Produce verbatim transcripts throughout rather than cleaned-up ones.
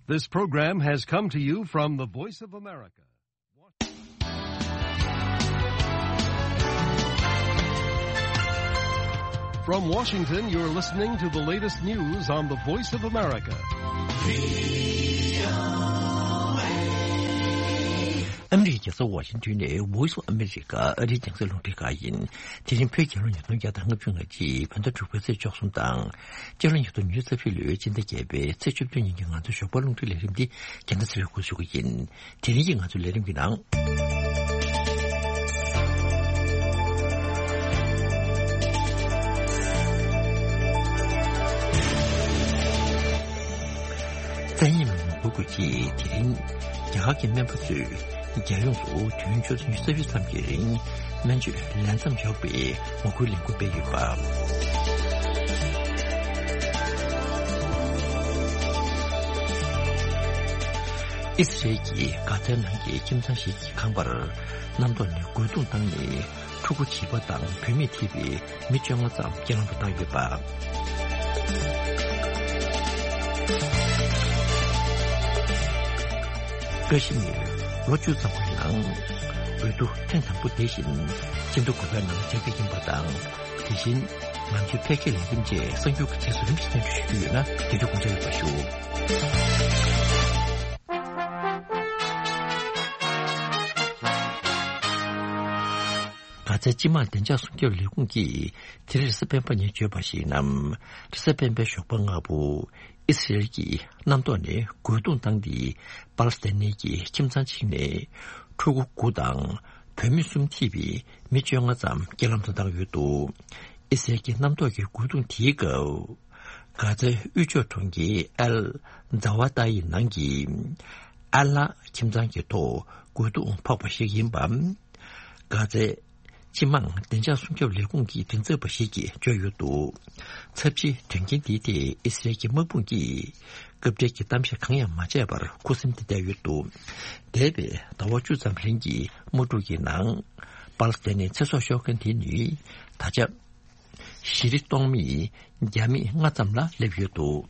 This program has come to you from the Voice of America. From Washington, you're listening to the latest news on the Voice of America. ཨ་མི་རི་ཀའི་རྒྱལ་ས་ཝ་ཤིང་ཏོན་ནས་Voice of America ཨ་རིའི་རྒྱང་སྲིང་རླུང་འཕྲིན་ཁང་ཡིན། དེ་རིང་བོད་རྒྱལ་ལོ་ཉིས་སྟོང་བརྒྱ་དང་ལྔ་བཅུ་ང་གཅིག་བོད་ཟླ་དྲུག་པའི་ཚེས་བཅུ་གསུམ་དང་། སྤྱི་ལོ་ཉིས་སྟོང་ཉི་ཤུ་རྩ་བཞི་ལོའི་སྤྱི་ཟླ་བརྒྱད་པའི་ཚེས་བཅུ་བདུན་ཉིན་གྱི་ང་ཚོའི་ཞོགས་པ་རླུང་འཕྲིན་ལས་རིམ་འདི་རྒྱལ་ས་ཚེ་རིང་སྐུ་གཞུག་གི་ཡིན། དེ་རིང་གི་ང་ཚོའི་ལས་རིམ་གྱི་ནང་། བཙན་གཡེམ་མི་འགུལ་དགོས་ཀྱི་དེ་རིང་རྒྱ་གར་གྱི་སྨན་པ་ཚོས་རྒྱལ་ཡོངས་སུ་དུས་ཡུན་ཆུ་ཚོད་ཉི་ཤུ་རྩ་བཞི་ཙམ་གྱི་རིང་སྨན་བཅོས་ལས་མཚམས་འཇོག་པའི་ངོ་རྒོལ་ལས་འགུལ་སྤེལ་ཡོད་པ། ཨི་སི་རེལ་གྱིས་གྷ་ཛའི་ནང་གི་ཁྱིམ་ཚང་ཞིག་གི་ཁང་པར་གནམ་ཐོག་ནས་རྒོལ་རྡུང་བཏང་ནས། ཕྲུ་གུ་བྱིས་པ་དང་བུད་མེད་ཐེ་བའི་མི་བཅོ་ལྔ་ཙམ་རྐྱེན་ལམ་དུ་བཏང་ཡོད་པ། ཀ་ཤི་མིར་ལོ་བཅུ་ཙམ་གྱི་ནང་འོས་བསྡུ་ཐེངས་དང་པོ་དེ་བཞིན་སྤྱི་ཟླ་དགུ་པའི་ནང་བྱ་རྒྱུ་ཡིན་པ་དང་། དེ་བཞིན་ང་ཚོའི་འཕེལ་རྒྱས་ལས་རིམ་བཅས་གསར་འགྱུར་གྱི་རྗེས་སུ་རིམ་བཞིན་སྙན་སྒྲོན་ཞུ་རྒྱུ་ཡོད་ན་དེ་དུས་དགོངས་འཇགས་ཡོད་པ་ཞུ། གྷ་ཛའི་སྤྱི་དམངས་བདེ་འཇགས་སྲུང་སྐྱོབ་ལས་ཁུངས་ཀྱིས་དེ་རིང་རེས་གཟའ་སྤེན་པ་ཉིན་བརྗོད་པར་གཞིགས་ན། རེས་གཟའ་སྤེན་པའི་ཞོགས་པ་སྔ་པོ་ཨི་སི་རེལ་གྱིས་གནམ་ཐོག་ནས་རྒོལ་རྡུང་བཏང་སྟེ་པ་ལི་སི་ཐན་གྱི་ཁྱིམ་ཚང་གཅིག་ནས་ཕྲུ་གུ་དགུ་དང་བུད་མེད་གསུམ་ཐེ་བའི་མི་བཅོ་ལྔ་ཙམ་རྐྱེན་ལམ་དུ་བཏང་ཡོད་འདུག་ཨི་སི་རེལ་གྱི་གནམ་ཐོག་གི་རྒོལ་རྡུང་དེའི་སྐབས། གྷ་ཛའི་དབུས་ཕྱོགས་གྲོང་ཁྱེར་ཨལ་ཛ་ཝ་ཏཱ་ཡི་ནང་གི་ཨལ་ལ་ཁྱིམ་ཚང་གི་ཐོག་རྒོལ་རྡུང་ཕོག་པ་ཞིག་ཡིན་པ། གྷ་ཛའི་སྤྱི་དམངས་བདེ་འཇགས་སྲུང་སྐྱོབ་ལས་ཁུངས་ཀྱི་མགྲིན་ཚབ་པ་ཞིག་གིས་བརྗོད་ཡོད་འདུག་ཚབས་ཆེའི་དོན་རྐྱེན་འདིའི་ཐད་ཨི་སི་རེལ་གྱི་དམག་དཔུང་གིས་སྐབས་འཕྲལ་གྱི་གཏམ་བཤད་གང་ཡང་མ་བྱས་པར་ཁུ་སིམ་དུ་བསྡད་ཡོད་འདུག་འདས་པའི་ཟླ་བ་བཅུ་ཙམ་རིང་གི་དམག་འཁྲུག་གི་ནང་པ་ལི་སི་ཐན་ནི་ཚེ་སྲོག་ཤོར་མཁན་དེ་ནི་ད་ཆ། ཞི་བདེ་གཏོང་མི་རྒྱ་མི་ལྔ་ཙམ་ལ་སླེབས་ཡོད་འདུག་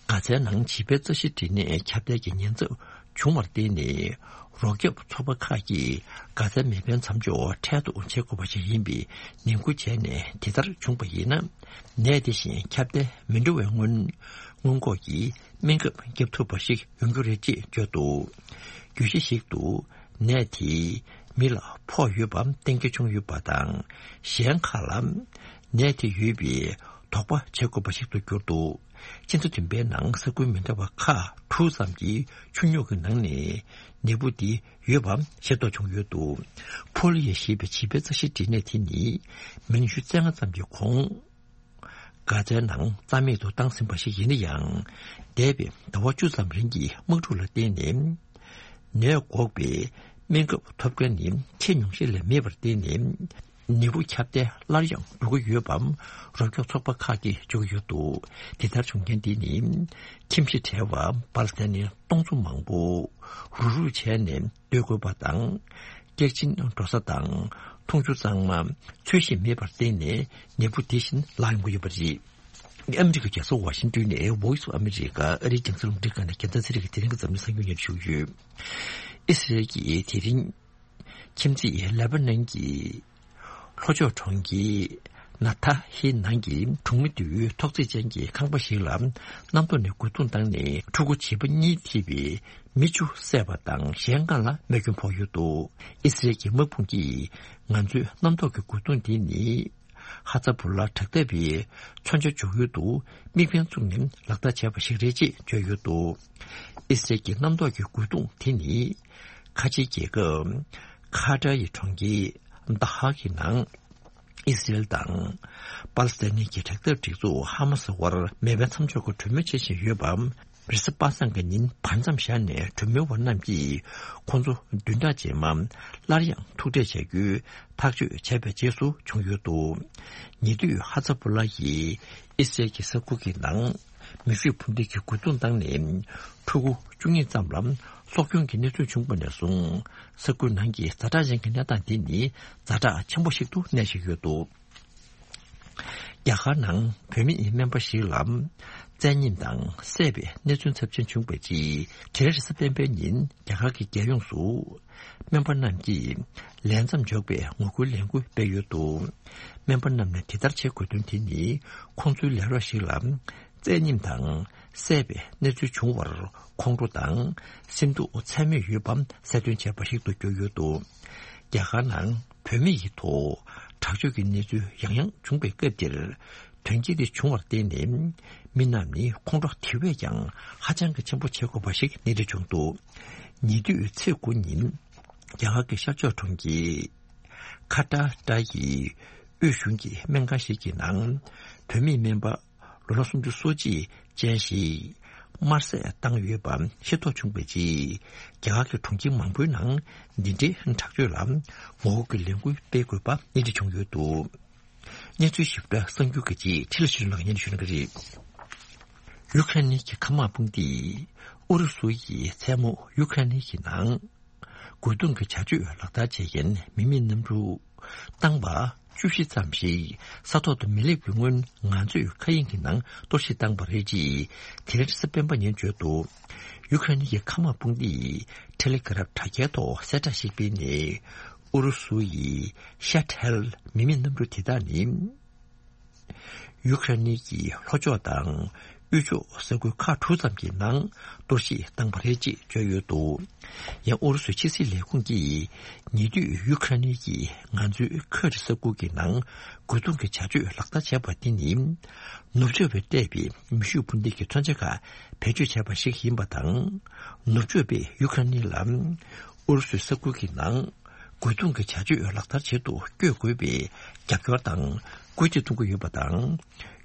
གྷ་ཛའི་ནང་བྱིས་པའི་རྩ་ཤེད་སྦྲེལ་ནས་ཁྱབ་གདལ་གྱི་ཉེན་ཚབས་བྱུང་བར་བརྟེན་ནས། རོགས་སྐྱོབ་ཚོགས་པ་ཁག་གིས་གྷ་ཛའི་མེ་འཕེན་མཚམས་འཇོག་འཕྲལ་དུ་བྱེད་དགོས་པ་ཞིག་ཡིན་པའི་ནན་སྐུལ་བྱས་ནས་དེ་ལྟར་བྱུང་བ་ཡིན་ན། ནད་དེ་བཞིན་ཁྱབ་གདལ་མི་འགྲོ་བའི་སྔོན། སྔོན་འགོག་གི་སྨན་ཁབ་བརྒྱབ་ཐུབ་པ་ཞིག་ཡོང་རྒྱུ་རེད་ཅེས་བརྗོད་འདུག་བརྗོད་གཞི་ཞིག་ཏུ། ནད་དེས་མི་ལ་ཕོག་ཡོད་པ་གཏན་འཁེལ་བྱུང་ཡོད་པ་དང་། གཞན་ཁག་ལ་ནད་དེ་ཡོད་པའི་དོགས་པ་བྱེད་དགོས་པ་ཞིག་ཏུ་གྱུར་འདུག་ཕྱི་ཟླ་བདུན་པའི་ནང་ས་ཁུལ་མི་འདྲ་བ་ཁག་དྲུག་ཙམ་གྱི་ཆུ་རྙོག་གི་ནང་ནས་ནད་འབུ་འདི་ཡོད་པ་ཤེས་རྟོགས་བྱུང་ཡོད་འདུག་ཕོ་ལི་ཡ་ཞེས་པའི་བྱིས་པའི་རྩ་ཤེད་སྦྲེལ་ནད་དེ་ནི་མི་ལོ་ཉི་ཤུ་རྩ་ལྔ་ཙམ་གྱི་གོང་། གྷ་ཛའི་ནང་རྩ་མེད་དུ་བཏང་ཟིན་པ་ཞིག་ཡིན་ན་ཡང་། འདས་པའི་ཟླ་བ་བཅུ་ཙམ་རིང་གི་དམག་འཁྲུག་ལ་བརྟེན་ནས། ནད་འགོག་པའི་སྨན་ཁབ་ཐོབ་མཁན་ནི་ཁྱོན་ཉུང་ཤས་ལས་མེད་པར་བརྟེན་ནས། ནད་འབུ་ཁྱབ་གདལ་སླར་ཡང་འགྲོ་གི་ཡོད་པ་རོགས་སྐྱོབ་ཚོགས་པ་ཁག་གིས་བརྗོད་ཀྱི་ཡོད་འདུག་དེ་ལྟར་བྱུང་རྐྱེན་འདི་ནི་ཁྱིམ་གཞིས་བྲལ་བ་པ་ལི་སི་ཐན་ནི་སྟོང་ཚོ་མང་པོ་རུག་རུག་བྱས་ནས་སྡོད་དགོས་པ་དང་། སྐྱག་གཅིན་འགྲོ་ས་དང་འཐུང་ཆུ་གཙང་མ་འཚོལ་ཞིང་མེད་པར་བརྟེན་ནས་ནད་འབུ་དེ་བཞིན་ལངས་ཡོང་གི་ཡོད་པ་རེད། ཨ་མི་རི་ཀའི་རྒྱལ་ས་ཝ་ཤིང་ཏོན་ནས་Voice of America ཨ་རིའི་རྒྱང་སྲིང་རླུང་འཕྲིན་ཁང་ནས་རྒྱལ་མཚན་ཚེ་རིང་གི་དེ་རིང་གི་འཛམ་གླིང་གསར་འགྱུར་སྙན་ཞུ་ཡོད། ཨི་སི་རེལ་གྱིས་དེ་རིང་ཁྱིམ་མཚེས་ལེ་པ་ནན་གྱི་ལྷོ་ཕྱོགས་གྲོང་ཁྱེར་ན་ཐ་ཧི་ནང་གི་གྲོང་མི་འདིའི་ཐོག་བརྩེགས་ཅན་གྱི་ཁང་པ་ཞིག་ལ་གནམ་ཐོག་ནས་རྒོལ་རྡུང་བཏང་ནས་ཕྲུ་གུ་བྱིས་པ་གཉིས་ཐེ་བའི་མི་བཅུ་བསད་པ་དང་གཞན་ལྔ་ལ་རྨས་སྐྱོན་ཕོག་ཡོད་འདུག་ཨི་སི་རེལ་གྱི་དམག་དཔུང་གིས་ང་ཚོའི་གནམ་ཐོག་གི་རྒོལ་རྡུང་འདི་ནི་ཧ་ཛ་བུ་ལ་དྲག་འཐབ་པའི་མཚོན་ཆ་འཇོག་ཡུལ་དུ་དམིགས་འབེན་བཙུགས་ནས་ལག་བསྟར་བྱས་པ་ཞིག་རེད་ཅེས་བརྗོད་ཡོད་འདུག་ཨི་སི་རེལ་གྱི་གནམ་ཐོག་གི་རྒོལ་རྡུང་དེ་ནི་ཁ་ཆེའི་རྒྱལ་ཁབ་ཁ་ཏར་ཡི་གྲོང་ཁྱེར་དྷ་ཧ་གི་ནང་། ཨི་སི་རེལ་དང་པ་ལི་སི་ཐན་གྱི་དྲག་འཐབ་སྒྲིག་འཛུགས་ཧ་མ་སི་བར་མེ་འཕེན་མཚམས་འཇོག་གི་གྲོས་མོལ་བྱེད་བཞིན་ཡོད་པ། རེས་གཟའ་པ་སངས་ཀྱི་ཉིན་བར་མཚམས་བཞག་ནས་གྲོས་མོལ་བ་རྣམས་ཀྱིས་ཁོང་ཚོ་བདུན་ཕྲག་རྗེས་མ་སླར་ཡང་ཐུག་འཕྲད་བྱ་རྒྱུའི་ཐག་གཅོད་བྱས་པའི་རྗེས་སུ་བྱུང་ཡོད་འདུག་ཉེ་དུས་ཧ་ཛ་བུ་ལ་ཡིས་ཨི་སི་རེལ་གྱི་ས་ཁུལ་གྱི་ནང་མེ་ཤུགས་འཕུར་མདེལ་གྱི་རྒོལ་རྡུང་བཏང་ནས་ཕྲུ་གུ་བཅུ་གཉིས་ཙམ་ལ་སྲོག་སྐྱོན་གྱི་གནས་ཚུལ་བྱུང་བ་ནས་བཟུང་ས་ཁུལ་ནང་གི་ཛ་དྲག་ཅན་གྱི་གནས་སྟངས་འདི་ནི་ཛ་དྲག་ཆེན་པོ་ཞིག་ཏུ་གནས་བཞིན་ཡོད་འདུག་རྒྱ་གར་ནང་བུད་མེད་སྨན་པ་ཞིག་ལ་ བཙན་ཉམས་དང་བསད་པའི་གནས་ཚུལ་ཚབས་ཆེན་བྱུང་བའི་རྗེས། དེ་རིང་རེས་གཟའ་སྤེན་པའི་ཉིན་རྒྱ་གར་གྱི་རྒྱལ་ཡོངས་སུ་སྨན་པ་རྣམས་ཀྱིས་ལས་མཚམས་འཇོག་པའི་ངོ་རྒོལ་ལས་འགུལ་སྤེལ་ཡོད་འདུག་སྨན་པ་རྣམས་ནས་དེ་ལྟར་བྱེད་དགོས་དོན་དེ་ནི། ཁོང་ཚོའི་ལས་རོགས་ཤིག་ལ་བཙན་ཉམས་དང་བསད་པའི་གནས་ཚུལ་བྱུང་བར་ཁོང་ཁྲོ་དང་སེམས་སྡུག་ཚད་མེད་ཡོད་པ་གསལ་སྟོན་བྱས་པ་ཞིག་ཏུ་གྱུར་ཡོད་འདུག་རྒྱ་གར་ནང་བུད་མེད་ཀྱི་ཐོག་དྲག་སྤྱོད་ཀྱི་གནས་ཚུལ་ཡང་ཡང་བྱུང་བའི་སྐབས་དེར། དོན་རྐྱེན་དེ་བྱུང་བར་བརྟེན་ནས། མི་རྣམས་ནི་ཁོང་ཁྲོ་དེ་བས་ཀྱང་ཧ་ཅང་གི་ཆེན་པོ་བྱེད་དགོས་པ་ཞིག་གནས་འདྲི་བྱུང་འདུག་ཉེ་དུས་ཚེས་དགུ་ཉིན། རྒྱ་གར་གྱི་ཤར་ཕྱོགས་གྲོང་ཁྱེར་ཁ་ཏ་ཏ་ཡི་དབུས་གཞུང་གི་སྨན་ཁང་ཞིག་གི་ནང་། བུད་མེད་སྨན་པ་ལོ་ན་སུམ་ཅུ་སོ་གཅིག་ཅན་ཞིག་དམར་བསད་བཏང་ཡོད་པ་ཤེས་རྟོགས་བྱུང་བའི་རྗེས། རྒྱ་གར་གྱི་གྲོང་ཁྱེར་མང་པོའི་ནང་འདི་འདྲའི་དྲག་སྤྱོད་ལ་ངོ་རྒོལ་གྱི་ལས་འགུལ་སྤེལ་དགོས་པ་གནས་འདྲི་བྱུང་ཡོད་འདུག་སྙན་ཚུལ་ཞིབ་ཕྲ་གསར་འགྱུར་གྱི་རྗེས་ཁྲི་ལ་ཆོས་ལགས་སྙན་ཞུ་གནང་གི་རེད། ཡུ་ཁ་རེན་གྱི་མཁའ་དམག་དཔུང་སྡེས་ཨུ་རུ་སུ་ཡིས་མཚན་མོ་ཡུ་ཁ་རེན་གྱི་ནང་རྒོལ་རྡུང་གི་བྱ་སྤྱོད་ལག་བསྟར་བྱེད་མཁན་མི་མེད་གནམ་གྲུ་བཏང་བ་བཅུ་བཞི་ཙམ་ཞིག་ས་ཐོག་ཏུ་མི་སླེབས་ཀྱི་སྔོན་ང་ཚོས་མཁའ་དབྱིངས་ཀྱི་ནང་གཏོར་བཤིག་བཏང་བ་རེད་ཅེས་དེ་རིང་རེས་གཟའ་སྤེན་པ་ཉིན་བརྗོད་འདུག་ཡུ་ཁ་རེན་གྱི་མཁའ་དམག་དཔུང་སྡེས་ཐེ་ལེ་གྷ་རབ་དྲ་རྒྱའི་ཐོག་གསལ་བསྒྲགས་ཤིག་སྤེལ་ནས། ཨུ་རུ་སུ་ཡི་ཤ་ཐལ་མི་མེད་གནམ་གྲུ་དེ་དག་ནི། ཡུ་ཁ་རེན་གྱི་ལྷོ་ཕྱོགས་དང་དབུས་ཕྱོགས་ས་ཁུལ་ཁག་དྲུག་ཙམ་གྱི་ནང་གཏོར་བཤིག་བཏང་བ་རེད་ཅེས་བརྗོད་ཡོད་འདུག་ཡང་ཨུ་རུ་སུའི་ཕྱི་སྲིད་ལས་ཁུངས་ཀྱིས་ཉེ་དུས་ཡུ་ཁ་རེན་གྱིས་ང་ཚོའི་ཁུ་རི་ས་ཁུལ་གྱི་ནང་རྒོལ་རྡུང་གི་བྱ་སྤྱོད་ལག་བསྟར་བྱས་པ་འདི་ནི། ནུབ་ཕྱོགས་པས་སྤྲད་པའི་མེ་ཤུགས་འཕུར་མདེལ་གྱི་མཚོན་ཆ་ཁག་བེད་སྤྱོད་བྱས་པ་ཞིག་ཡིན་པ་དང་། ནུབ་ཕྱོགས་པས་ཡུ་ཁ་རེན་ལ་ཨུ་རུ་སུའི་ས་ཁུལ་གྱི་ནང་རྒོལ་རྡུང་གི་བྱ་སྤྱོད་ལག་བསྟར་བྱེད་དུ་བསྐྱོད་དགོས་པའི་རྒྱབ་སྐྱོར་དང་སྐུལ་འདེད་གཏོང་གི་ཡོད་པ་དང་།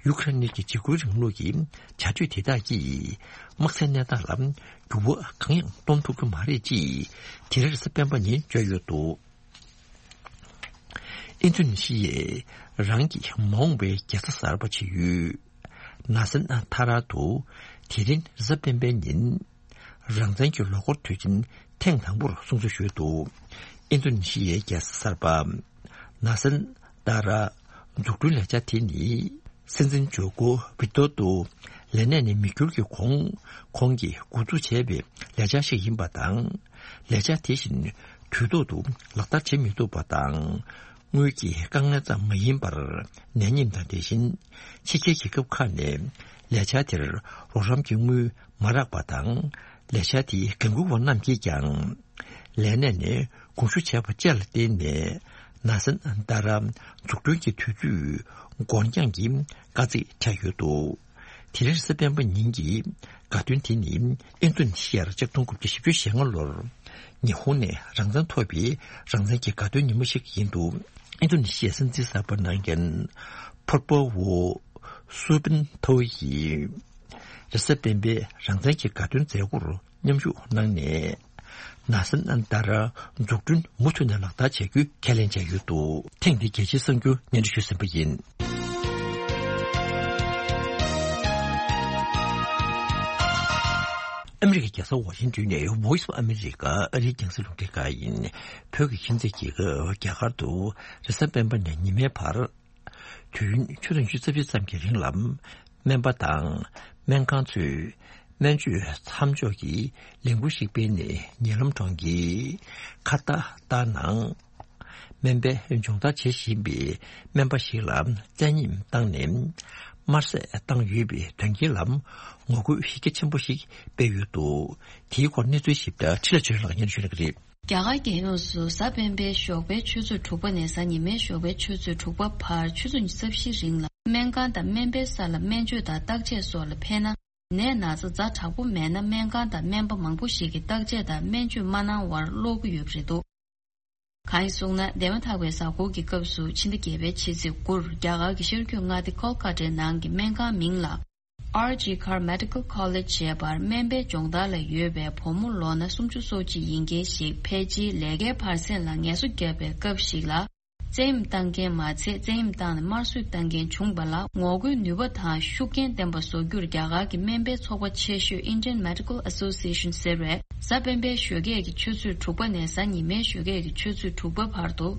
ཡུ་ཁ་རེན་གྱི་འཇིགས་སྐུལ་རིང་ལུགས་ཀྱི་བྱ་སྤྱོད་དེ་དག་གིས་དམག་སའི་གནས་སྟངས་ལ་འགྱུར་བ་གང་ཡང་གཏོང་ཐུབ་ཀྱི་མ་རེད་ཅེས་དེ་རིང་རེས་གཟའ་སྤེན་པ་ཉིན་བརྗོད་ཡོད་འདུག་ཨིན་རྡུ་ནི་ཤི་ཡས་རང་གི་མ་འོངས་པའི་རྒྱལ་ས་གསར་པ་བྱེད་ཡུལ་ནཱ་སན་ཐ་ར་དུ་དེ་རིང་རེས་གཟའ་སྤེན་པའི་ཉིན་རང་བཙན་གྱི་ལོ་འཁོར་དུས་ཆེན་ཐེངས་དང་པོར་སྲུང་བརྩི་ཞུས་འདུག་ཨིན་རྡུ་ནི་ཤི་ཡའི་རྒྱལ་ས་གསར་པ་ནཱ་སན་ཐ་ར་འཛུགས་སྐྲུན་ལས་འཆར་དེ་ནི། སྲིད་འཛིན་ཇོ་ཀོ་ཝི་ཏོ་ཏོ་ལས་གནས་ནས་མི་འགྱུར་གྱི་གོང་ཁོང་གིས་འགོ་འཛུགས་བྱས་པའི་ལས་འཆར་ཞིག་ཡིན་པ་དང་། ལས་འཆར་དེ་བཞིན་དུས་ཐོག་ཏུ་ལག་བསྟར་བྱེད་མི་ཐུབ་པ་དང་། དངུལ་གྱི་དཀའ་ངལ་ཙམ་མ་ཡིན་པར་ནད་ཡམས་དང་དེ་བཞིན་ཕྱི་རྒྱལ་རྒྱལ་ཁབ་ཁག་ནས་ལས་འཆར་དེར་རོགས་རམ་གྱི་དངུལ་མ་རག་པ་དང་། ལས་འཆར་དེའི་འགན་འཁུར་བ་རྣམས་ཀྱིས་ཀྱང་། ལས་གནས་ནས་དགོངས་ཞུ་བྱས་པ་བཅས་ལ་བརྟེན་ནས་ནཱ་སན་ཏཱ་ར་འཛུགས་སྐྲུན་གྱི་དུས་ཚོད་འགོར་འགྱངས་ཀྱི་དཀའ་ཚེགས་འཕྲད་ཡོད་འདུག་དེ་རིང་རེས་གཟའ་སྤེན་པ་ཉིན་གྱི་དགའ་སྟོན་དེ་ནི་ཨིན་རྡུ་ནི་ཤི་ཡར་ཆིག་སྟོང་དགུ་བརྒྱ་བཞི་བཅུ་ཞེ་ལྔ་ལོར་ཉི་ཧོང་ནས་རང་བཙན་ཐོབ་པའི་རང་བཙན་གྱི་དགའ་སྟོན་ཉིན་མོ་ཞིག་ཡིན་འདུག་ཨིན་རྡུ་ནི་ཤི་ཡའི་སྲིད་འཛིན་གསར་པ་གནང་མཁན་ཕུར་པ་ཝོ་སུ་བིན་ཐོ་ཡིས་རེས་གཟའ་སྤེན་པའི་རང་བཙན་གྱི་དགའ་སྟོན་མཛད་སྒོར་མཉམ་ཞུགས་གནང་ནས། ནཱ་སན་ཏཱ་ར་འཛུགས་སྐྲུན་མུ་མཐུད་ནས་ལག་བསྟར་བྱ་རྒྱུའི་ཁས་ལེན་བྱས་ཡོད་འདུག་ཐེངས་འདིའི་རྒྱལ་སྤྱིའི་གསར་འགྱུར་སྙན་སྒྲོན་ཞུས་ཟིན་པ་ཡིན། ཨ་མི་རི་ཀའི་རྒྱལ་ས་ཝ་ཤིང་ཏོན་ནས་Voice of America ཨ་རིའི་རྒྱང་སྲིང་རླུང་འཕྲིན་ཁང་ཡིན། བོད་ཀྱི་ཁྱིམ་མཚེས་རྒྱལ་ཁབ་རྒྱ་གར་དུ་རེས་གཟའ་སྤེན་པ་ནས་ཉི་མའི་བར། དུས་ཡུན་ཆུ་ཚོད་ཉི་ཤུ་རྩ་བཞི་ཙམ་གྱི་རིང་ལ། སྨན་པ་དང་སྨན་ཁང་ཚོས་སྨན་བཅོས་མཚམས་འཇོག་གི་ལས་འགུལ་ཞིག་སྤེལ་ནས། ཉེ་ལམ་གྲོང་ཁྱེར་ཁ་ཏ་ཏ་ནང་སྨན་པའི་སྦྱོང་བརྡར་བྱེད་བཞིན་པའི་སྨན་པ་ཞིག་ལ་བཙན་ཉམས་བཏང་ནས་དམར་བསད་བཏང་ཡོད་པའི་དོན་རྐྱེན་ལ་ངོ་རྒོལ་ཡི་གེ་ཆེན་པོ་ཞིག་སྤེལ་ཡོད་འདུག་དེའི་སྐོར་གནས་ཚུལ་ཞིབ་ཕྲ་ཁྲི་ལ་ཆོས་ལགས་སྙན་ཞུ་གནང་གི་རེད། རྒྱ་གར་རྒྱལ་ཡོངས་སུ་གཟའ་སྤེན་པའི་ཞོགས་པའི་ཆུ་ཚོད་དྲུག་པ་ནས་གཟའ་ཉི་མའི་ཞོགས་པའི་ཆུ་ཚོད་དྲུག་པ་བར་ཆུ་ཚོད་ཉི་ཤུ་རྩ་བཞིའི་རིང་ལ་སྨན་ཁང་དང་སྨན་པའི་ས་ལ་སྨན་བཅོས་དང་བརྟག་དཔྱད་སོགས་ལ་ཕེབས་ན། ནད་ན་ཚ་ཛ་དྲག་པོ་མེད་ན། སྨན་ཁང་དང་སྨན་པ་མང་པོ་ཞིག་གིས་བརྟག་དཔྱད་དང་སྨན་བཅོས་མ་གནང་བར་ཀློག་གི་ཡོད་པ་རེད་འདུག་གང་ཡིན་གསུངས་ན། འདས་མ་ཐག་པའི་གཟའ་འཁོར་གྱི་སྐབས་སུ་ཕྱི་ཟླ་བརྒྱད་པའི་ཕྱི་ཚེས་དགུར་རྒྱ་གར་གྱི་ཤར་རྒྱུད་མངའ་སྡེ་ཁོལ་ཀ་ཏའི་ནང་གི་སྨན་ཁང་མིང་ལ། ཨར་ཇི་ཀར་མེ་ཌི་ཀལ་ཁོ་ལེཇ་ཞེས་པར་སྨན་པའི་སྦྱོང་བརྡར་ལ་ཡོད་པའི་བུ་མོ་ལོ་ན་སུམ་ཅུ་སོ་གཅིག་ཡིན་མཁན་ཞིག་ཕལ་ཆེར་ལས་ཀའི་བར་གསེང་ལ་ངལ་གསོ་བརྒྱབ་པའི་སྐབས་ཤིག་ལ། བཙན་གཡེམ་བཏང་མཁན་མ་ཚད། བཙན་གཡེམ་བཏང་ནས་དམར་གསོད་བཏང་མཁན་བྱུང་བ་ལ། ངོ་རྒོལ་ནུས་པ་དང་ཤུགས་རྐྱེན་ལྡན་པ་བཟོ་རྒྱུར་རྒྱ་གར་གྱི་སྨན་པའི་ཚོགས་པ་ཆེ་ཤོས་Indian Medical Association ཟེར་བས། གཟའ་སྤེན་པའི་ཞོགས་ཀས་ཀྱི་ཆུ་ཚོད་དྲུག་པ་ནས་གཟའ་ཉི་མའི་ཞོགས་ཀས་ཀྱི་ཆུ་ཚོད་དྲུག་པ་བར་དུ།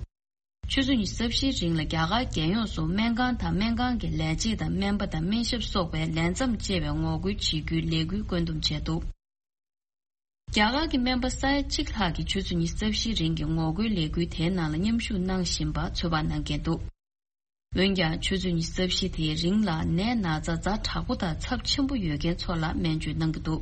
ཆུ་ཚོད་ཉི་ཤུ་རྩ་བཞིའི་རིང་ལ་རྒྱ་གར་རྒྱལ་ཡོངས་སུ་སྨན་ཁང་དང་སྨན་ཁང་གི་ལས་བྱེད་དང་སྨན་པ་དང་སྨན་ཞབས་སོགས་པའི་ལས་མཚམས་བཅད་པའི་ངོ་རྒོལ་བྱེད་རྒྱུའི་ལས་འགུལ་བཀོད་འདོམས་བྱས་འདུག་རྒྱ་གར་གྱི་སྨན་པ་ས་ཡ་གཅིག་ལྷག་གིས་ཆུ་ཚོད་ཉི་ཤུ་རྩ་བཞིའི་རིང་གི་ངོ་རྒོལ་ལས་འགུལ་དེའི་ནང་ལ་མཉམ་ཞུགས་གནང་བཞིན་པ་ཚོད་དཔག་གནང་མཁན་འདུག་འོན་ཀྱང་ཆུ་ཚོད་ཉི་ཤུ་རྩ་བཞི་དེའི་རིང་ལ་ནད་ན་ཚ་ཛ་དྲག་པོ་དང་ཚབས་ཆེན་པོ་ཡོད་མཁན་ཚོ་ལ་སྨན་བཅོས་གནང་གི་འདུག་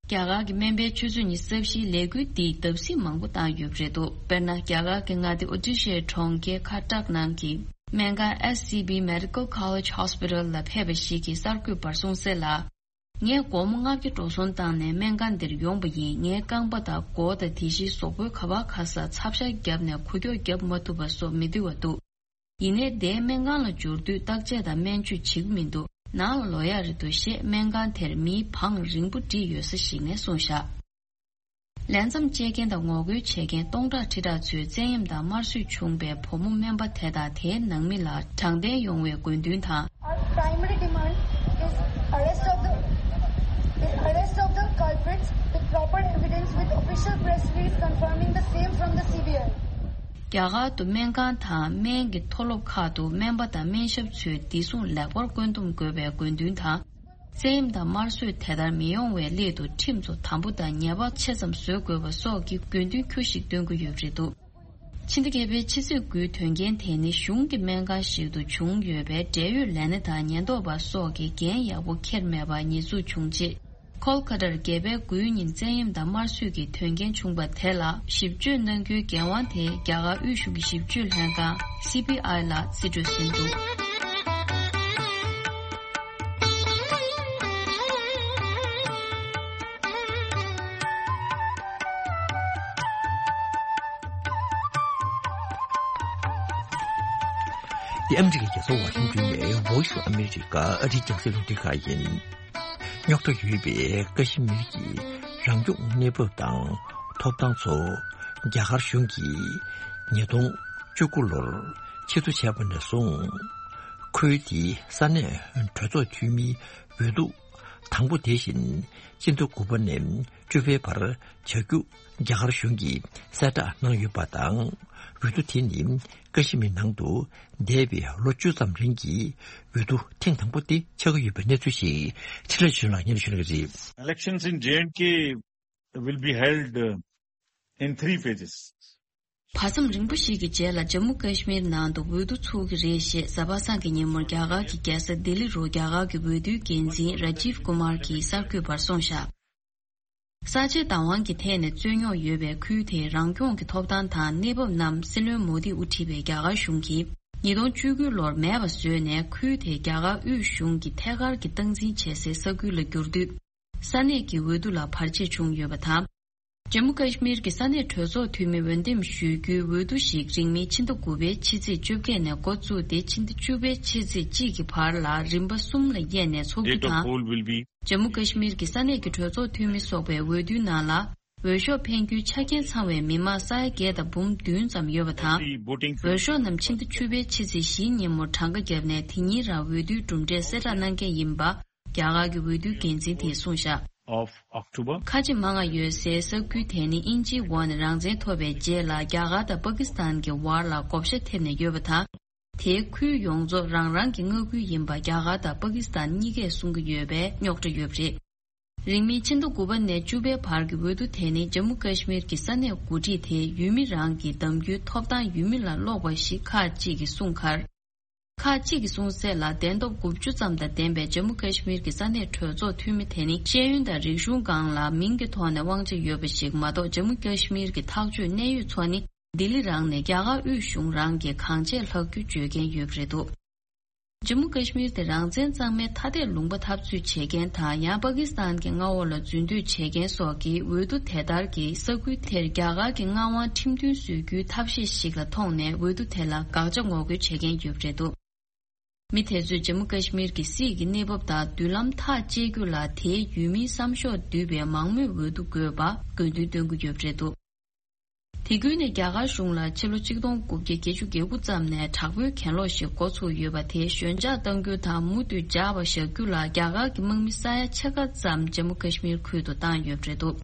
རྒྱ་གར་གྱི་སྨན་པའི་ཆུ་ཚོད་ཉི་ཤུ་རྩ་བཞིའི་ལས་འགུལ་འདིས་བརྡབ་གསིག་མང་པོ་བཏང་ཡོད་པ་རེད་འདུག་དཔེར་ན། རྒྱ་གར་གྱི་མངའ་སྡེ་ཨོ་ཏི་ཤའི་གྲོང་ཁྱེར་ཁ་ཏག་ནང་གི་སྨན་ཁང་S C B Medical College Hospital ལ་ཕེབས་པ་ཞིག་གིས་གསར་འགོད་པར་གསུངས་གསལ་ལ། ངས་སྒོར་མོ་ལྔ་བརྒྱ་འགྲོ་སོང་བཏང་ནས་སྨན་ཁང་འདིར་ཡོང་པ་ཡིན། ངའི་རྐང་པ་དང་མགོ་དང་དེ་བཞིན་གཟུགས་པོའི་ག་པར་ག་ས་ཚབ་ཤ་བརྒྱབ་ནས་འགུལ་སྐྱོད་བརྒྱབ་མ་ཐུབ་པ་སོགས་མི་འདུག་པ་འདུག་ཡིན་ནའི་འདིའི་སྨན་ཁང་ལ་འབྱོར་དུས་བརྟག་དཔྱད་དང་སྨན་བཅོས་བྱེད་ཀྱི་མི་འདུག་ནང་ལ་ལོག་ཡག་རེད་འདུག་ཞེས་སྨན་ཁང་དེར་མིའི་བང་རིང་པོ་བསྒྲིགས་ཡོད་ས་ཞིག་ནས་གསུངས་བཞག་ལས་མཚམས་བཅད་མཁན་དང་ངོ་རྒོལ་བྱེད་མཁན་སྟོང་ཕྲག་ཁྲི་ཕྲག་ཚོས་བཙན་གཡེམ་དང་དམར་གསོད་བྱུང་བའི་བུ་མོ་སྨན་པ་དེ་དང་དེའི་ནང་མི་ལ་དྲང་བདེན་ཡོང་བའི་དགོས་འདུན་དང་། Our primary demand is arrest of the, the arrest of the culprits with proper evidence with official press release confirming the same from the C B I. རྒྱ་གར་དུ་སྨན་ཁང་དང་སྨན་གྱི་མཐོ་སློབ་ཁག་ཏུ་སྨན་པ་དང་སྨན་ཞབས་ཚོས་བདེ་སྲུང་ལེགས་པར་བཀོད་འདོམས་དགོས་པའི་དགོས་འདུན་དང་། བཙན་གཡེམ་དང་དམར་གསོད་དེ་ལྟར་མི་ཡོང་བའི་སླད་དུ་ཁྲིམས་ཚོ་དམ་པོ་དང་ཉེས་པ་ཆེ་ཙམ་བཟོ་དགོས་པ་སོགས་ཀྱི་དགོས་འདུན་ཁྱོད་ཞིག་འདོན་གྱི་ཡོད་པ་རེད་འདུག་ཕྱི་ཟླ་བརྒྱད་པའི་ཕྱི་ཚེས་དགུའི་དོན་རྐྱེན་དེ་ནི་གཞུང་གི་སྨན་ཁང་ཞིག་ཏུ་བྱུང་ཡོད་པས། འབྲེལ་ཡོད་ལས་སྣེ་དང་ཉེན་རྟོག་པ་སོགས་ཀྱིས་འགན་ཡག་པོ་འཁྱེར་མེད་པར་ཉེས་འཛུགས་བྱུང་རྗེས། ཁོལ་ཁ་ཏར་བརྒྱད་པའི་དགུའི་ཉིན་བཙན་གཡེམ་དང་དམར་གསོད་ཀྱི་དོན་རྐྱེན་བྱུང་བ་དེ་ལ་ཞིབ་དཔྱོད་གནང་རྒྱུའི་འགན་དབང་དེ་རྒྱ་གར་དབུས་གཞུང་གི་ཞིབ་དཔྱོད་ལྷན་ཁང་C B I ལ་རྩིས་སྤྲོད་ཟིན་འདུག་འདི་ཨ་མི་རི་ཀའི་རྒྱལ་ས་ཝ་ཤིང་ཏོན་ནས་Voice of America ཨ་རིའི་རྒྱང་སྲིང་རླུང་འཕྲིན་ཁང་ཡིན། རྙོག་དྲ་ཡོད་པའི་ཀ་ཤི་མིར་གྱི་རང་སྐྱོང་གནས་བབ་དང་ཐོབ་ཐང་ཚོ་རྒྱ་གར་གཞུང་གིས་ཉིས་སྟོང་བཅུ་དགུ་ལོར་ཕྱིར་བསྡུ་བྱས་པ་ནས་བཟུང་། ཁུལ་དེའི་ས་གནས་གྲོས་ཚོགས་འཐུས་མིའི་འོས་བསྡུ་དང་པོ་དེ་བཞིན་སྤྱི་ཟླ་དགུ་པ་ནས་བཅུ་པའི་བར་བྱ་རྒྱུ་རྒྱ་གར་གཞུང་གིས་གསལ་བསྒྲགས་གནང་ཡོད་པ་དང་། འོས་བསྡུ་དེ་ནི་ཀ་ཤི་མིར་ནང་དུ་འདས་པའི་ལོ་བཅུ་ཙམ་རིང་གི་འོས་བསྡུ་ཐེངས་དང་པོ་དེ་ཆགས་ཀྱི་ཡོད་པའི་གནས་ཚུལ་ཞིག་འཕྲིན་ལས་ཆོས་ལགས་སྙན་ཞུ་གནང་གི་རེད། Elections in J and K will be held, uh, in three phases. བར་མཚམས་རིང་པོ་ཞིག་གི་རྗེས་ལ་ཇམ་མུ་ཀ་ཤི་མིར་ནང་དུ་འོས་བསྡུ་ཚུགས་ཀྱི་རེད་ཞེས་གཟའ་པ་སངས་ཀྱི་ཉིན་མོར་རྒྱ་གར་གྱི་རྒྱལ་ས་ལྡི་ལི་རུ་རྒྱ་གར་གྱི་འོས་བསྡུའི་འགན་འཛིན་ར་ཇིབ་ཀུ་མར་གྱིས་གསར་འགོད་པར་གསུངས་བཞག་གསར་བརྗེའི་བདག་དབང་གི་ཐད་ནས་རྩོད་རྙོག་ཡོད་པའི་ཁུལ་དེའི་རང་སྐྱོང་གི་ཐོབ་ཐང་དང་གནས་བབ་རྣམས་སྲིད་བློན་མོ་དིས་དབུ་ཁྲིད་པའི་རྒྱ་གར་གཞུང་གིས་ཉིས་སྟོང་བཅུ་དགུ་ལོར་མེད་པ་བཟོས་ནས། ཁུལ་དེ་རྒྱ་གར་དབུས་གཞུང་གིས་ཐད་ཀར་གྱི་སྟངས་འཛིན་བྱེད་སའི་ས་ཁུལ་ལ་བསྒྱུར་དུས། ས་གནས་ཀྱི་འོས་བསྡུ་ལ་བར་ཆད་བྱུང་ཡོད་པ་དང་། ཇམ་མུ་ཀ་ཤི་མིར་གྱི་ས་གནས་གྲོས་ཚོགས་འཐུས་མི་འོས་འདེམས་ཞུ་རྒྱུའི་འོས་བསྡུ་ཞིག་རིང་མིན་ཕྱི་ཟླ་དགུ་པའི་ཕྱི་ཚེས་བཅོ་བརྒྱད་ནས་འགོ་བཙུགས་ཏེ། ཕྱི་ཟླ་བཅུ་པའི་ཕྱི་ཚེས་གཅིག་གི་བར་ལ་རིམ་པ་གསུམ་ལ་དབྱེ་ནས་འཚོགས་རྒྱུ་དང་། ཇམ་མུ་ཀ་ཤི་མིར་གྱི་ས་གནས་ཀྱི་གྲོས་ཚོགས་འཐུས་མི་སོགས་པའི་འོས་བསྡུའི་ནང་ལ། འོས་ཤོག་འཕེན་རྒྱུའི་ཆ་རྐྱེན་ཚང་བའི་མི་མང་ས་ཡ་བརྒྱད་དང་འབུམ་བདུན་ཙམ་ཡོད་པ་དང་། འོས་ཤོག་རྣམས་ཕྱི་ཟླ་བཅུ་པའི་ཕྱི་ཚེས་བཞིའི་ཉིན་མོར་གྲངས་ཀ་བརྒྱབ་ནས། དེ་ཉིན་རང་འོས་བསྡུའི་གྲུབ་འབྲས་གསལ་བསྒྲགས་གནང་གི་ཡིན་པ་རྒྱ་གར་གྱི་འོས་བསྡུའི་འགན་འཛིན་དེས་གསུངས་བཞག of October. ཁ་ཆེ་མང་ང་ཡོད་སའི་ས་ཁུལ་དེ་ནི་དབྱིན་ཇིའི་འོག་ནས་རང་བཙན་ཐོབ་པའི་རྗེས་ལ་རྒྱ་གར་དང་པ་ཀི་སི་ཐན་གྱི་བར་ལ་བགོ་བཤའ་ཐེབས་ནས་ཡོད་པ་དང་། དེའི་ཁུལ་ཡོངས་རྫོགས་རང་རང་གི་མངའ་ཁུལ་ཡིན་པ་རྒྱ་གར་དང་པ་ཀི་སི་ཐན་གཉིས་ཀས་གསུང་གི་ཡོད་པས་རྙོག་དྲ་ཡོད་པ་རེད། རིང་མིན་ཕྱི་ཟླ་དགུ་པ་ནས་བཅུ་པའི་བར་གྱི་འོས་བསྡུ་དེ་ནི་ཇམ་མུ་ཀ་ཤི་མིར་གྱི་ས་གནས་འགོ་ཁྲིད་དེ་ཡུལ་མི་རང་གི་གདམ་རྒྱུའི་ཐོབ་ཐང་ཡུལ་མི་ལ་སློག་པ་ཞིག་ཁག་ཅིག་གིས་གསུངས་ཁར། ཁག་ཅིག་གིས་གསུངས་གསལ་ལ། གདན་ཐོབ་དགུ་བཅུ་ཙམ་དང་ལྡན་པའི་ཇམ་མུ་ཀ་ཤི་མིར་གྱི་ས་གནས་གྲོས་ཚོགས་འཐུས་མི་དེ་ནི་ཤེས་ཡོན་དང་རིག་གཞུང་སྒང་ལ་མིང་གི་ཐོག་ནས་དབང་ཆ་ཡོད་པ་ཞིག་མ་གཏོགས། ཇམ་མུ་ཀ་ཤི་མིར་གྱི་ཐག་གཅོད་གནད་ཡོད་ཚོ་ནི་ལྡི་ལི་རང་ནས་རྒྱ་གར་དབུས་གཞུང་རང་གིས་གང་བྱས་ལྷག་རྒྱུ་བརྗོད་མཁན་ཡོད་པ་རེད་འདུག་ཇམ་མུ་ཀ་ཤི་མིར་དེ་རང་བཙན་གཙང་མའི་ཐ་དད་ལུང་པ་འཐབ་རྩོད་བྱེད་མཁན་དང་། ཡང་པ་ཀི་སི་ཐན་གྱི་མངའ་འོག་ལ་འཛུལ་འདོད་བྱེད་མཁན་སོགས་ཀྱིས་འོས་བསྡུ་དེ་ལྟར་གྱི་ས་ཁུལ་དེར་རྒྱ་གར་གྱི་མངའ་དབང་ཁྲིམས་མཐུན་བཟོ་རྒྱུའི་ཐབས་ཤེས་ཤིག་ལ་མཐོང་ནས། འོས་བསྡུ་དེ་ལ་དགག་བྱ་ངོ་རྒོལ་བྱེད་མཁན་ཡོད་པ་རེད་འདུག་མི་དེ་ཚོས་ཇམ་མུ་ཀ་ཤི་མིར་གྱི་སྲིད་ཀྱི་གནས་བབ་དང་མདུན་ལམ་ཐག་བཅད་རྒྱུ་ལ་དེའི་ཡུལ་མིའི་བསམ་ཤོག་འདུས་པའི་མང་མོས་འོས་བསྡུ་དགོས་པ་དགོས་འདུན་བཏོན་གྱི་ཡོད་པ་རེད་འདུག་དེ་ཁུལ་ནས་རྒྱ་གར་གཞུང་ལ་ཕྱི་ལོ་ཆིག་སྟོང་དགུ་བརྒྱ་བརྒྱད་ཅུ་གྱ་དགུ་ཙམ་ནས་དྲག་པོའི་གྱེན་ལོག་ཞིག་འགོ་ཚུགས་ཡོད་པ་དེ་ཞོད་འཇགས་གཏང་རྒྱུ་དང་མུ་མཐུད་འཇགས་པ་བཞག་རྒྱུ་ལ་རྒྱ་གར་གྱི་དམག་མི་ས་ཡ་ཕྱེད་ཀ་ཙམ་ཇམ་མུ་ཀ་ཤི་མིར་ཁུལ་དུ་བཏང་ཡོད་པ་རེད་འདུག་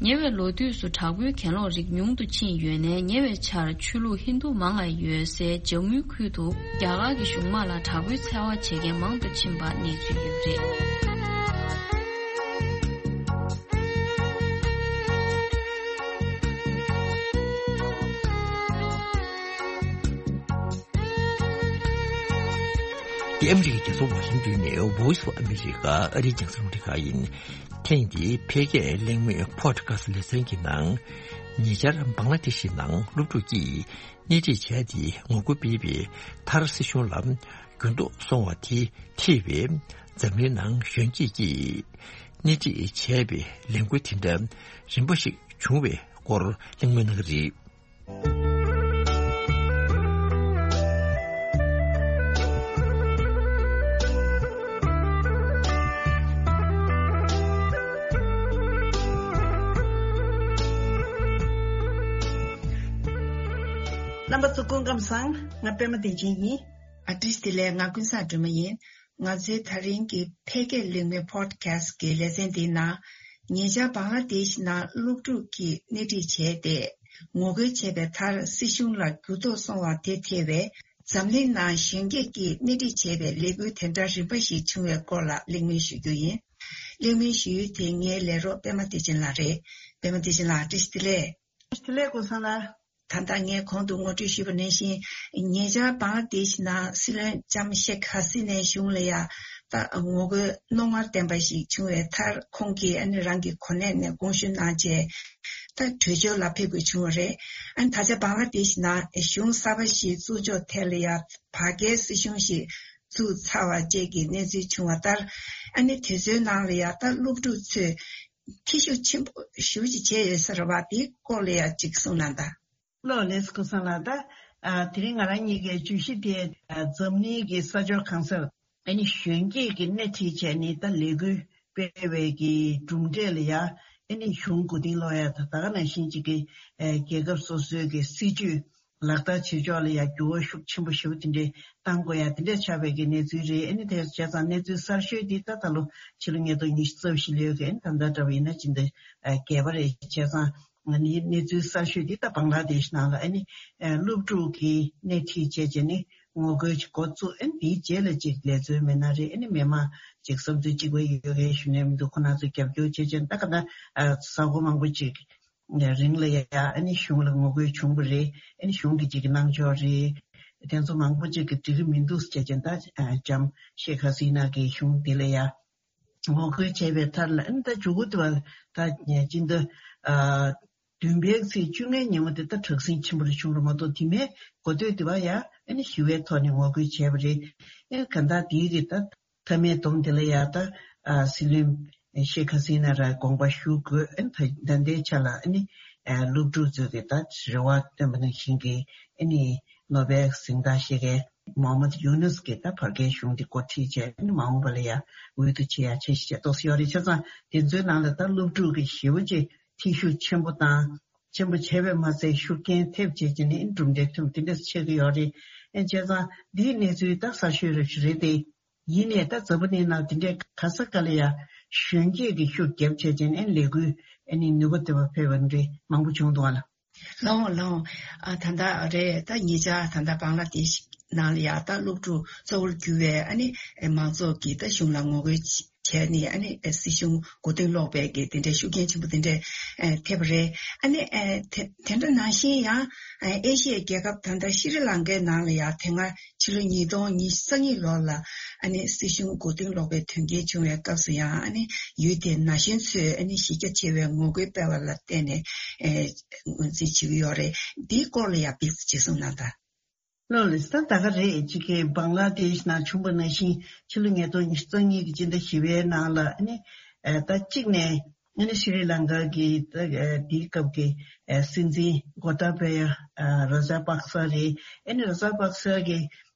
ཉེ་བའི་ལོ་དུས་སུ་དྲག་པོའི་གྱེན་ལོག་རིགས་ཉུང་དུ་ཕྱིན་ཡོད་ནའི། ཉེ་བའི་ཆར་ཆོས་ལུགས་ཧིན་རྡུ་མང་ང་ཡོད་སའི་ཇམ་མུའི་ཁུལ་དུ་རྒྱ་གར་གྱི་གཞུང་དམག་ལ་དྲག་པོའི་འཚེ་བ་བྱེད་མཁན་མང་དུ་ཕྱིན་པ་གནས་ཚུལ་ཡོད་པ་རེད། འདི་ཨ་མི་རི་ཀའི་རྒྱལ་ས་ཝ་ཤིང་ཏོན་ནས་Voice of America ཨ་རིའི་རྒྱང་སྲིང་རླུང་འཕྲིན་ཁང་ཡིན། ཐེངས་འདིའི་འཕེལ་རྒྱས་གླེང་མོལ་Podcast ལེ་ཚན་གྱི་ནང་། ཉེ་ཆར་བང་ལ་དེ་ཤི་ནང་སློབ་ཕྲུག་གིས་སྣེ་ཁྲིད་བྱས་ཏེ་ངོ་རྒོལ་སྤེལ་བའི་མཐར་སྲིད་གཞུང་ལ་འགྱུར་ལྡོག་སོང་བ་དེ་འཁྲིད་པའི་འཛམ་གླིང་ནང་གཞོན་སྐྱེས་ཀྱིས་སྣེ་ཁྲིད་བྱས་པའི་ལས་འགུལ་དེ་འདྲ་རིམ་པ་ཞིག་བྱུང་བའི་སྐོར་གླེང་མོལ་གནང་གི་རེད། རྣམ་པ་ཚོ་སྐུ་ཁམས་བཟང་། ང་པད་མ་བདེ་ཆེན་ཡིན། ཨ་ཏི་ཤ་བདེ་ལེགས། ང་ཀུན་བཟང་སྒྲོལ་མ་ཡིན། ང་ཚོའི་ད་རིང་གི་འཕེལ་རྒྱས་གླེང་མོལ་Podcast གི་ལེ་ཚན་འདིའི་ནང་། ཉེ་ཆར་བང་ལ་དེཤ་ནང་སློབ་ཕྲུག་གིས་སྣེ་ཁྲིད་བྱས་ཏེ་ངོ་རྒོལ་བྱས་པའི་མཐར་སྲིད་གཞུང་ལ་འགྱུར་ལྡོག་སོང་བ་དེ་ཐེ་བའི་འཛམ་གླིང་ནང་གཞོན་སྐྱེས་ཀྱིས་སྣེ་ཁྲིད་བྱས་པའི་ལས་འགུལ་དེ་འདྲ་རིམ་པ་ཞིག་བྱུང་བའི་སྐོར་ལ་གླེང་མོལ་ཞུ་རྒྱུ་ཡིན། གླེང་མོལ་ཞུ་ཡུལ་དེ་ངའི་ལས་རོགས་པད་མ་བདེ་ཆེན་ལགས་རེད། པད་མ་བདེ་ཆེན་ལགས་བཀྲ་ཤིས་བདེ་ལེགས། བཀྲ་ཤིས་བདེ་ལེགས་ཀུན་བཟང་ལགས། ད་ལྟ་ངས་གོང་དུ་ངོ་སྤྲོད་ཞུས་པ་ནང་བཞིན། ཉེ་ཆར་བང་ལ་དེཤ་ནང་སྲིད་བློན་ལྕམ་ཤེག་ཧ་སི་ནའི་གཞུང་ལ་ཡ་ད་ངོ་རྒོལ་རྣོ་ངར་ལྡན་པ་ཞིག་བྱུང་བའི་མཐར། ཁོང་གིས་ཨ་ནི་རང་གི་གོ་གནས་ནས་དགོངས་ཞུ་གནང་རྗེས་ད་བྲོས་བྱོལ་ལ་ཕེབས་དགོས་བྱུང་བ་རེད། ཨ་ནི་ད་ཆ་བང་ལ་དེཤ་ནང་གཞུང་གསར་པ་ཞིག་བཙུགས་ཕྱོགས་ཐད་ལ་ཡ་བར་བརྒལ་སྲིད་གཞུང་ཞིག་བཙུགས་ཚར་བ་བཅས་ཀྱི་གནས་ཚུལ་བྱུང་བ་ལྟར། ཨ་ནི་དེ་ཚོའི་ནང་ལ་ཡ་ད་སློབ་ཕྲུག་ཚོས་ཁྱད་ཤུགས་ཆེན་པོ་ཞེ་པོ་ཅིག་བྱས་ཡོད་ས་རེད་བ། དེའི་སྐོར་ལ་ཡ་ཅིག་གསུངས་གནང་དང་། ལགས་ལགས་སོ། ཀུན་བཟང་ལགས། ད་ཨ་དེ་རིང་ང་རང་གཉིས་ཀའི་བརྗོད་གཞི་དེ་ཨ་འཛམ་གླིང་གི་ས་ཕྱོགས་གང་སར་ཨ་ནི་གཞོན་སྐྱེས་ཀྱི་སྣེ་ཁྲིད་བྱས་ནས་ད་ལས་འགུལ་སྤེལ་བའི་གི་གྲུབ་འབྲས་ལ་ཡ་ཨ་ནི་གཞུང་མགོ་རྟིང་སློག་ཡ་ད་ད་ག་ནང་བཞིན་ཅིག་གི་ཨ་རྒྱལ་ཁབ་སོ་སོའི་གི་སྲིད་ཇུས་ལག་བསྟར་བྱེད་ཕྱོགས་ལ་ཡ་འགྱུར་བ་ཤུགས་ཆེན་པོ་ཞེ་པོ་དེ་འདྲའི་བཏང་དགོས་ཡ་དེ་འདྲ་ཆགས་པའི་གི་གནས་ཚུལ་རེད། ཨ་ནི་དེ་བྱས་ཙང་གནས་ཚུལ་གསར་ཤོས་འདི་ད་ད་ལོ་ཕྱི་ལོ་ཉིས་སྟོང་ཉི་ཤུ་རྩ་བཞི་ལོའི་གི་ཨ་ནི་ད་ལྟ་འདྲ་བ་ཡིན་ན་ཅི་འདྲ་ཨ་རྒྱས་པ་རེད། བྱས་ཙང་ཨ་ནི་གནས་ཚུལ་གསར་ཤོས་འདི་ད་བང་ལ་དེཤ་ནང་ལ་ཨ་ནི་ཨ་སློབ་ཕྲུག་གི་སྣེ་ཁྲིད་བྱས་བྱས་ནས་ངོ་རྒོལ་ཅིག་འགོ་བཙུགས། ཨ་ནི་དེའི་རྗེས་ལ་ཅིག་ལས་རྩོལ་མི་སྣ་རེད། ཨ་ནི་མི་མང་ཅིག་བསམ་ཚུལ་གཅིག་པ་ཡོད་མཁན་ཞུ་ནས་མི་འདུག་ཁོ་ན་ཚོས་རྒྱབ་སྐྱོར་བྱས་བྱས་ད་ག་ད་ཨ་ས་གོ་མང་པོ་ཅིག་རིང་ལ་ཡ་ཨ་ནི་གཞུང་ལ་ངོ་རྒོལ་བྱུང་བ་རེད། ཨ་ནི་གཞུང་གི་ཅིག་གི་གནང་ཕྱོགས་རེད། དེ་ཚོ་མང་པོ་ཅིག་གི་འགྲིག་གི་མི་འདུག་ཟེར་བྱས་ད་ལྕམ་ཤེག་ཧ་སི་ན་གི་གཞུང་དེ་ལ་ཡ་ངོ་རྒོལ་བྱས་པའི་མཐར་ལ་ཨ་ནི་ད་མཇུག་གུ་དེ་བ་ད་སྤྱི་ཟླ་ཨ་བདུན་པའི་ཚེས་བཅོ་ལྔའི་ཉིན་མོ་དེ་ད་དྲག་ཟིང་ཆེན་པོ་རེ་བྱུང་རུ་མ་གཏོགས་དེ་མའི་འགོ་སྟོད་དེ་བ་ཡ་ཨ་ནི་ཞི་བའི་ཐོག་ནས་ངོ་རྒོལ་བྱས་པ་རེད། ཨ་ནི་ག་ད་དེའི་གི་ད། མཐའ་མའི་སྡོམ་དེ་ལ་ཡ་ད་ཨ་སྲིད་བློན་ཤེག་ཧ་སི་ན་ར་དགོངས་པ་ཞུ་དགོས། ཨ་ནི་ད་ད་ལྟའི་ཆ་ལ་ཨ་ནི་ཨ་སློབ་ཕྲུག་ཚོས་གི་ད་རེ་བ་བཏོན་པ་ནང་བཞིན་གི་ཨ་ནི་ནོ་བེལ་གཟེངས་རྟགས་བཞེས་མཁན་མོ་ཧམ་མད་ཡུ་ནུས་ཀྱིས་ད་བར་བརྒལ་གཞུང་འདི་འགོ་ཁྲིད་བྱས། ཨ་ནི་མ་འོངས་པ་ལ་ཡ་འོས་བསྡུ་བྱེད་ཡ་འཆར་གཞི་བྱས་ཏོག་ཙམ་ཡོད་རེད། བྱས་ཙང་དེ་ཚོའི་ནང་ལ་ད་སློབ་ཕྲུག་གི་ཞེ་པོ་ཅིག་ཐེ་ཤུགས་ཆེན་པོ་དང་ཆེན་པོ་བྱས་པས་མ་ཚད་ཤུགས་རྐྱེན་ཐེབས་བྱས་ཀྱི་ནི་གྲུབ་འབྲས་ཐོན་དེ་འདྲ་ཆགས་ཀྱི་ཡོད་རེད། ཨ་ནི་བྱས་ཙང་འདིའི་གནས་ཚུལ་ད་གསར་ཤོས་རེ་རེད་དེ། ཡིན་ནའི་ད་འཛམ་བུ་གླིང་ནང་དེ་འདྲའི་ག་ས་ག་ལ་ཡ་གཞོན་སྐྱེས་ཀྱི་ཤུགས་རྒྱབ་བྱས་བྱས་ནས་ལས་འགུལ་ཨ་ནི་ནུས་པ་ལྡན་པ་ཕེབས་པ་འདྲ་མང་པོ་བྱུང་འདུག་ཨ་ལ། ལགས་འོང་ལགས་འོང་། ཨ་ད་ལྟ་རེད། ད་ཉེ་ཆར་ད་ལྟ་བང་ལ་དེཤ་ནང་ལ་ཡ་ད་སློབ་ཕྲུག་གཙོ་བོར་གྱུར་བའི་ཨ་ནི་མང་ཚོགས་ཀྱིས་ད་གཞུང་ལ་ངོ་རྒོལ་བྱས་ནས་ཨ་ནི་སྲིད་གཞུང་མགོ་རྟིང་སློག་པའི་གི་དེ་འདྲའི་ཤུགས་རྐྱེན་ཆེན་པོ་དེ་འདྲ་ཐེབས་པ་རེད། ཨ་ནི་དེ་དེ་འདྲ་ནང་བཞིན་ཡང་ཨེ་ཤི་ཡའི་རྒྱལ་ཁབ་ད་ལྟ་ཤྲི་ལང་ཀའི་ནང་ལ་ཡ་དེ་སྔ་ཕྱི་ལོ་ཉིས་སྟོང་ཉི་ཤུ་རྩ་གཉིས་ལོ་ལ་ཨ་ནི་སྲིད་གཞུང་མགོ་རྟིང་སློག་པའི་དོན་རྐྱེན་བྱུང་བའི་སྐབས་སུ་ཡང་ཨ་ནི་ཡུལ་དེའི་ན་གཞོན་ཚོས་ཨ་ནི་གཞི་རྒྱ་ཆེ་བའི་ངོ་རྒོལ་སྤེལ་བ་ལ་བརྟེན་ནས་ངོས་འཛིན་བྱེད་ཀྱི་ཡོད་རེད། འདིའི་སྐོར་ལ་ཡང་ཕེབས་ཅིག་གསུངས་གནང་དང་། ལགས་ལགས། ད་ད་ག་རེད། ཅིག་གི་བང་ལ་དེཤ་ནང་བྱུང་བ་ནང་བཞིན་ཕྱི་ལོ་ཉིས་སྟོང་ཉི་ཤུ་རྩ་གཉིས་ཀྱི་སྤྱི་ཟླ་བཞི་པའི་ནང་ལ་ཨ་ནི་ད་གཅིག་ནས། ཨ་ནི་ཤྲི་ལང་ཀ་གི་ད་དེའི་སྐབས་ཀྱི་སྲིད་འཛིན་གོ་ཏཱ་བྷ་ཡ་ར་ཇ་པག་ས་རེད། ཨ་ནི་ར་ཇ་པག་ས་གི་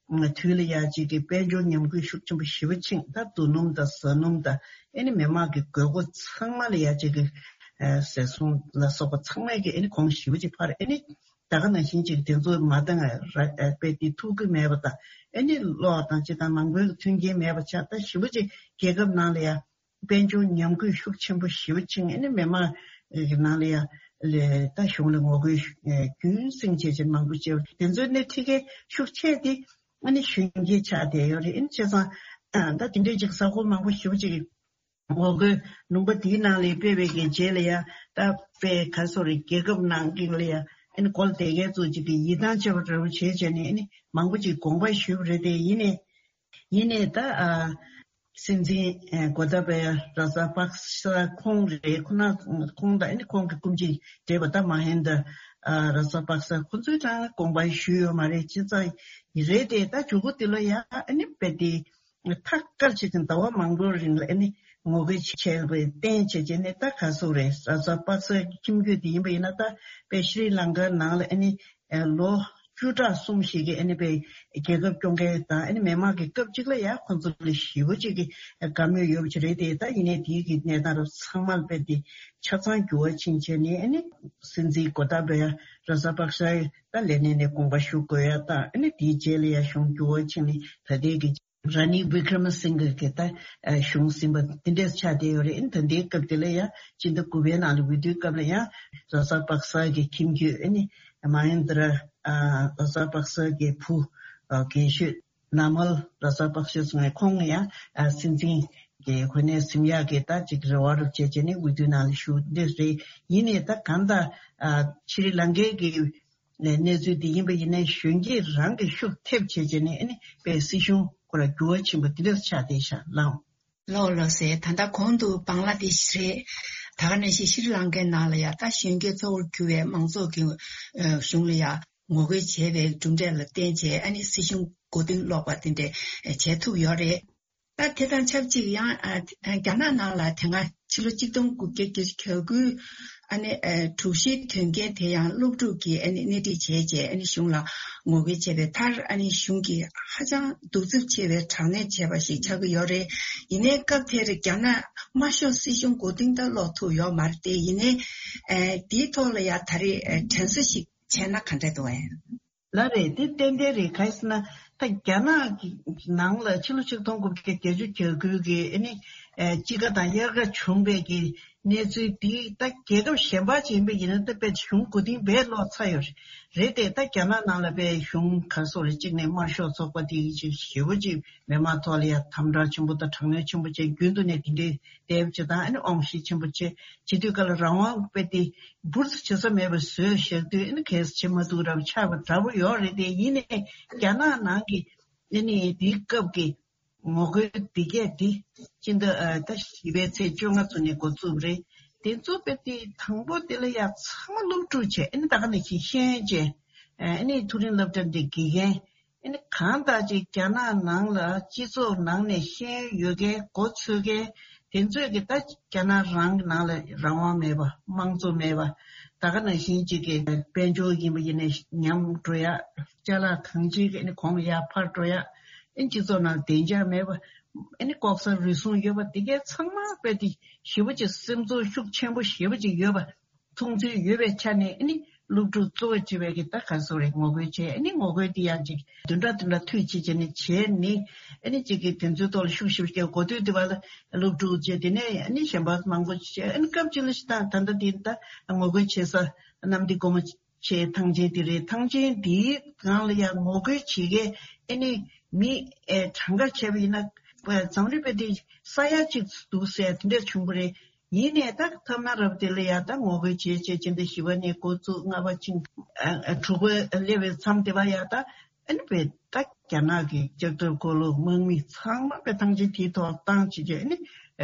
དུས་ལ་ཡ་གཅིག་གི་དཔལ་འབྱོར་ཉམས་རྒུད་ཤུགས་ཆེན་པོ་ཞེ་པོ་ཕྱིན། ད་རྡོ་སྣུམ་དང་ཟ་སྣུམ་དང་ཨ་ནི་མི་མང་གི་དགོས་མཁོ་ཚང་མ་ལ་ཡ་གཅིག་གི་ཟས་སོང་ལ་སོགས་པ་ཚང་མ་གི་ཨ་ནི་གོང་ཞེ་པོ་ཅིག་འཕར། ཨ་ནི་ད་ག་ནང་བཞིན་ཅིག་དེ་ཚོ་མ་འདང་ར་དཔེ་དེ་ཐུག་གི་མེད་པ་དང་ཨ་ནི་གློག་དང་ཅི་དང་མང་པོའི་མཐུན་རྐྱེན་མེད་པ་ཆགས། ད་ཞེ་པོ་ཅིག་རྒྱལ་ཁབ་ནང་ལ་ཡ། དཔལ་འབྱོར་ཉམས་རྒུད་ཤུགས་ཆེན་པོ་ཞེ་པོ་ཕྱིན། ཨ་ནི་མི་མང་གི་ནང་ལ་ཡ་ལས་ད་གཞུང་ལ་ངོ་རྒོལ་ཨ་རྒྱུན་བསྲིངས་བྱས་བྱས་མང་པོ་བྱས། དེ་ཚོའི་སྣེ་ཁྲིད་མཁན་ཤུགས་ཆེ་དེ་ཨ་ནི་གཞོན་སྐྱེས་ཆགས་བསྡད་ཡོད་རེད། ཨ་ནི་བྱས་ཙང་ཨ་ད་དེ་འདྲའི་ཅིག་ས་ཁོངས་མང་པོ་ཞེ་པོ་ཅིག་ངོ་རྒོལ་ལུང་པ་འདིའི་ནང་ལ་སྤེལ་བའི་གི་རྗེས་ལ་ཡ་ད་དཔེ་ག་སོ་རེ་རྒྱལ་ཁབ་ནང་གི་ལ་ཡ་ཨ་ནི་འགོ་ལ་བསྡད་མཁན་ཚོ་ཅིག་གི་ཡིད་ཐང་ཆད་པ་འདྲ་བོ་བྱས་བྱས་ནས་ཨ་ནི་མང་པོ་ཅིག་དགོངས་པ་ཞུས་པ་རེད། དེ་ཡིན་ནའི་ཡིན་ནའི་ད་ཨ་སྲིད་འཛིན་ཨ་གོ་ཏ་བ་ཡ་ར་ཛ་པག་ས་ཁོང་རེད། ཁོ་ན་ཁོང་དང་ཨ་ནི་ཁོང་གི་སྐུ་མཆེད་བགྲེས་པ་ད་མ་ཧེན་ད་ཨ་ར་ཛ་པག་ས་ཁོ་ཚོས་ཀྱང་དགོངས་པ་ཞུས་ཡོད་མ་རེད། བྱས་ཙང་རེད་དེ་ད་མཇུག་གུ་དེ་ལ་ཡ་ཨ་ནི་དཔེ་དེ། ཐག་བཀར་བྱས་ཏེ་ཟླ་བ་མང་པོའི་རིང་ལ་ཨ་ནི་ངོ་རྒོལ་བྱས་པའི་རྟེན་བྱས་བྱས་ནས་ད་ག་སོ་རེད། ར་ཛ་པག་སའི་ཁྱིམ་རྒྱུད་དེ་ཡིན་པ་ཡིན་ན་ད་དཔེ་ཤྲི་ལང་ཀའི་ནང་ལ་ཨ་ནི་ལོ་བཅུ་ཕྲག་གསུམ་ཞིག་གི་ཨ་ནི་དཔེ་རྒྱལ་ཁབ་སྐྱོང་མཁན་དང་ཨ་ནི་མི་མང་གི་སྐབས་གཅིག་ལ་ཡ་ཁོང་ཚོ་ལ་ཞེ་པོ་ཅིག་གི་དགའ་མོས་ཡོད་པ་ཅིག་རེད་དེ། ད་ཡིན་ནའི་དེའི་གི་གནས་སྟངས་རབ་ཚང་མ་དཔེ་དེ་ཆ་ཚང་འགྱུར་བ་ཕྱིན་བྱས་ནས་ཨ་ནི་སྲིད་འཛིན་གོ་ཏ་བ་ཡ་ར་ཛ་པག་སའི་ད་ལས་གནས་ནས་དགོངས་པ་ཞུ་དགོས་ཡ་དང་ཨ་ནི་དེའི་རྗེས་ལ་ཡ་གཞུང་འགྱུར་བ་ཕྱིན་ནས་ད་ལྟའི་གི་ར་ནིལ་བི་ཀྲ་མ་སིང་གྷ་གི་ད་གཞུང་ཟིན་པ་འདི་འདྲས་ཆགས་བསྡད་ཡོད་རེད། ད་ལྟའི་སྐབས་དེ་ལ་ཡང་སྤྱི་ཟླ་དགུ་པའི་ནང་ལ་འོས་བསྡུའི་སྐབས་ལ་ཡང་ར་ཛ་པག་ས་གི་ཁྱིམ་རྒྱུད་ཨ་ནི་མ་ཧེན་དྲ་ར་ཛ་པག་ས་གི་བུ་རྒན་ཤོས་ན་མལ་ར་ཛ་པག་ཤོས་ཚོ་ནས་ཁོང་ཡང་སྲིད་འཛིན་གྱི་གོ་གནས་ཟིན་ཡག་གི་ད་ཅིག་རེ་བ་རུ་བྱས་བྱས་ནས་འོས་བསྡུའི་ནང་ལ་ཞུགས་འདི་རེད། ཡིན་ནའི་ད་གང་ལྟར་ཤྲི་ལང་ཀའི་གི་ནས་གནས་ཚུལ་འདི་ཡིན་པ་ཡིན་ནའི་གཞོན་སྐྱེས་རང་གི་ཤུགས་ཐེབས་བྱས་བྱས་ནས་ཨ་ནི་དཔེ་སྲིད་གཞུང་ཁོ་ར་འགྱུར་བ་ཕྱིན་པ་འདི་འདྲ་ཆགས་བསྡད་ཤག་ལགས། ལགས་ལགས་སེ། ད་ལྟ་གོང་དུ་བང་ལ་དེ་ཞིག་རེད། ད་ག་ནང་བཞིན་ཤྲི་ལང་ཀའི་ནང་ལ་ཡ་ད་གཞོན་སྐྱེས་གཙོ་བོར་གྱུར་བའི་མང་ཚོགས་ཀྱི་གཞུང་ལ་ཡ་ངོ་རྒོལ་བྱས་པའི་གྲུབ་འབྲས་ལ་བརྟེན་བྱས་ཨ་ནི་སྲིད་གཞུང་མགོ་རྟིང་སློག་པ་དེ་འདྲ་བྱས་ཐུབ་ཡོད་རེད། ད་དེ་དང་ཆབས་ཅིག་ཡང་ཨ་རྒྱ་ནག་ནང་ལ་དེ་སྔ་ཕྱི་ལོ་ཆིག་སྟོང་དགུ་བརྒྱ་བརྒྱད་ཅུ་གྱ་དགུའི་ཨ་ནི་ཨ་དྲུག་བཞིའི་དོན་རྐྱེན་དེ་ཡང་སློབ་ཕྲུག་གིས་ཨ་ནི་སྣེ་ཁྲིད་བྱས་རྗེས་ཨ་ནི་གཞུང་ལ་ངོ་རྒོལ་བྱས་པའི་མཐར་ཨ་ནི་གཞུང་གིས་ཧ་ཅང་གདུག་རྩུབ་ཆེ་བའི་དྲག་གནོན་བྱས་པ་ཞིག་ཆགས་ཀྱི་ཡོད་རེད། ཡིན་ནའི་སྐབས་དེར་རྒྱ་ནག་དམར་ཤོག་སྲིད་གཞུང་མགོ་རྟིང་ད་སློག་ཐུབ་ཡོད་མ་རེད་དེ། ཡིན་ནའི་ཨ་དེའི་ཐོག་ལ་ཡ་ད་རེས་ཨ་དྲན་གསོ་ཞིག་བྱས་ན་ག་འདྲ་འདུག་ཨེ། ལགས་རེད། དེ་ཏན་ཏན་རེད། ག་རེ་ཟེར་ན་ད་རྒྱ་ནག་གི་ནང་ལ་ཕྱི་ལོ་ཆིག་སྟོང་དགུ་བརྒྱ་བརྒྱད་ཅུ་གྱ་དགུ་གི་ཨ་ནི་ཨ་དཔྱིད་ཀ་དང་དབྱར་ཁ་བྱུང་བའི་གི་གནས་ཚུལ་འདི་ད་རྒྱལ་ཁབ་གཞན་པ་ཅིག་ཡིན་པ་ཡིན་ན་ད་དཔེ་གཞུང་མགོ་རྟིང་རྦད་སློག་ཚར་ཡོད་རེད། རེད་དེ་ད་རྒྱ་ནག་ནང་ལ་དཔེ་གཞུང་ག་རེ་ཟེར་རེད། གཅིག་ནས་དམར་ཤོག་ཚོགས་པ་དེ་ཅིག་ཞེ་པོ་ཅིག་མི་མང་ཐོག་ལ་ཡ་དམ་དྲག་ཆེན་པོ་དང་དྲག་གནོན་ཆེན་པོ་བྱས། རྒྱུན་དུ་ནས་དེ་འདྲའི་དེབ་ཅིག་དང་ཨ་ནི་དབང་ཤེད་ཆེན་པོ་བྱས། བྱེད་དུས་སྐབས་ལ་རང་དབང་དཔེ་དེ་འབུར་དུ་བྱེད་ས་མེད་པ་བཟོས་བཞག་དུས་ཨ་ནི་གལ་སྲིད་བྱེད་མ་ཐུབ་རབས་ཆགས་པ་འདྲ་པོ་ཡོད་རེད་དེ། ཡིན་ནའི་རྒྱ་ནག་ནང་གི་ཨ་ནི་དེའི་སྐབས་ཀྱི་ངོ་རྒོལ་འདི་གས་འདི་སྤྱི་ཟླ་ཨ་ད་བཞི་པའི་ཚེས་བཅོ་ལྔ་ཚོ་ནས་འགོ་བཙུགས་རེད། དེ་ཚོ་དཔེ་དེ་དང་པོ་དེ་ལ་ཡ་ཚང་མ་སློབ་ཕྲུག་བྱས། ཨ་ནི་ད་ག་ནང་བཞིན་ཤེས་ཡོན་ཅན་ཨ་ནི་མཐོ་རིམ་སློབ་གྲྭ་འདི་དགེ་རྒན། ཨ་ནི་གང་ལྟར་ཅིག་རྒྱ་ནག་ནང་ལ་སྤྱི་ཚོགས་ནང་ནས་ཤེས་ཡོན་ཡོད་མཁན་མགོ་ཚོས་མཁན་དེ་ཚོས་ཀྱི་ད་རྒྱ་ནག་རང་གི་ནང་ལ་རང་དབང་མེད་པ། དམངས་གཙོ་མེད་པ། ད་ག་ནང་བཞིན་ཅིག་གི་དཔལ་འབྱོར་ཡིན་པ་ཡིན་ནའི་ཉམས་འགྲོ་ཡ། ཅ་ལག་གང་ཅིའི་ཨ་ནི་གོང་ཡར་འཕར་འགྲོ་ཡ། ཨ་ནི་སྤྱི་ཚོགས་ནང་བདེ་འཇགས་མེད་པ། ཨ་ནི་ལྐོག་ཟ་རུལ་སུངས་ཡོད་པ། དེ་གའི་ཚང་མ་དཔེ་དེ་ཞེ་པོ་ཅིག་སེམས་ཚོར་ཤུགས་ཆེན་པོ་ཞེ་པོ་ཅིག་ཡོད་པ། མཐོང་ཚུལ་ཡོད་པའི་ཆ་ནས་ཨ་ནི་སློབ་ཕྲུག་གཙོ་བོ་བྱས་པའི་གི་ད་ག་རེ་ཟེར་རེད། ངོ་རྒོལ་བྱས། ཨ་ནི་ངོ་རྒོལ་དེ་ཡང་ཅིག་བདུན་ཕྲག་བདུན་ཕྲག་མཐུད་བྱས་བྱས་ནས་བྱས་ནས་ཨ་ནི་ཅིག་གི་དེ་ཚོའི་ཐོག་ལ་ཤུགས་ཞེ་པོ་བསྐྱེད། འགོ་སྟོད་དེ་བ་ལ་སློབ་ཕྲུག་བྱས། དེ་ནས་ཨ་ནི་གཞན་པ་མང་པོ་བྱས། ཨ་ནི་སྐབས་གཅིག་ལ་ཞིག་ད་ད་ལྟ་དེ་ད་ངོ་རྒོལ་བྱེད་ས་གནམ་བདེ་སྒོ་མོ་ཆེ་ཐང་ཆེན་དེ་རེད། ཐང་ཆེན་དེའི་སྒང་ལ་ཡང་ངོ་རྒོལ་བྱེད་མཁན་ཨ་ནི་མི་ཨེ་གྲངས་ཀ་བྱས་པ་ཡིན་ན་འཛམ་གླིང་དཔེ་དེ་ས་ཡ་གཅིག་འདུག་ཟེར་དེ་འདྲས་བྱུང་བ་རེད། ཡིན་ནའི་ད་ཐ་ན་རབས་དེ་ལ་ཡ་ད་ངོ་རྒོལ་བྱེད་བྱེད་ཕྱིན་ཏེ་བཞི་པ་ནས་འགོ་བཙུགས་ལྔ་པ་ཕྱིན་ཨ་ཨ་དྲུག་པ་སླེབས་པའི་མཚམས་དེ་བ་ཡ་ད་ཨ་ནི་དཔེ་ད་རྒྱ་ནག་གི་ལྕགས་ཁྲབ་འཁོར་ལོ་དམག་མི་ཚང་མ་དཔེ་ཐང་ཆེན་དེའི་ཐོག་བཏང་བྱེད་བྱེད་ཨ་ནི་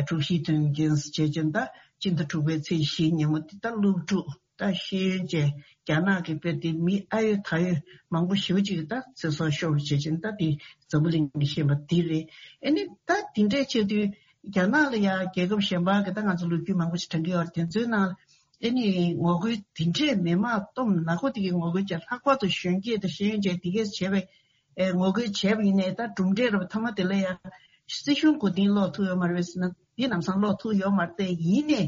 དྲུག་བཞིའི་དོན་རྐྱེན་བྱེད་བྱེད་ད་སྤྱི་ཟླ་དྲུག་པའི་ཚེས་བཞི་ཉིན་མོ་དེ་ད་སློབ་ཕྲུག་ད་ཤེས་ཡོན་ཅན་རྒྱ་ནག་གི་དཔེ་དེ་མི་ཨ་ཡོད་ད་ཡོད་མང་པོ་ཞེ་པོ་ཅིག་གིས་ད་ཚེ་སྲོག་ཤོར་བྱེད་བྱེད་ད་དེ་འཛམ་བུ་གླིང་གིས་ཤེས་པ་དེ་རེད། ཨ་ནི་ད་དེ་འདྲས་བྱེད་དུས། རྒྱ་ནག་ལ་ཡང་རྒྱལ་ཁབ་གཞན་པ་གི་ད་ང་ཚོ་ལོ་རྒྱུས་མང་པོ་ཞིག་དྲན་གྱི་ཡོད་རེད། དེ་ཚོའི་ནང་ཨེ་ནི་ངོ་རྒོལ་འདི་འདྲས་མི་མང་སྟོབས་ནག་པོ་དེ་གི་ངོ་རྒོལ་བྱས། ལྷག་པར་དུ་གཞོན་སྐྱེས་དང་ཤེས་ཡོན་ཅན་དེ་གས་བྱས་པའི་ཨེ་ངོ་རྒོལ་བྱས་པ་ཡིན་ནའི་ད་གྲུབ་འབྲས་རབ་མཐའ་མ་དེ་ལ་ཡང་སྲིད་གཞུང་མགོ་རྟིང་སློག་ཐུབ་ཡོད་མ་རེད་ཟེར་ན་འདི་ལམ་སང་སློག་ཐུབ་ཡོད་མ་རེད། དེ་ཡིན་ནའི་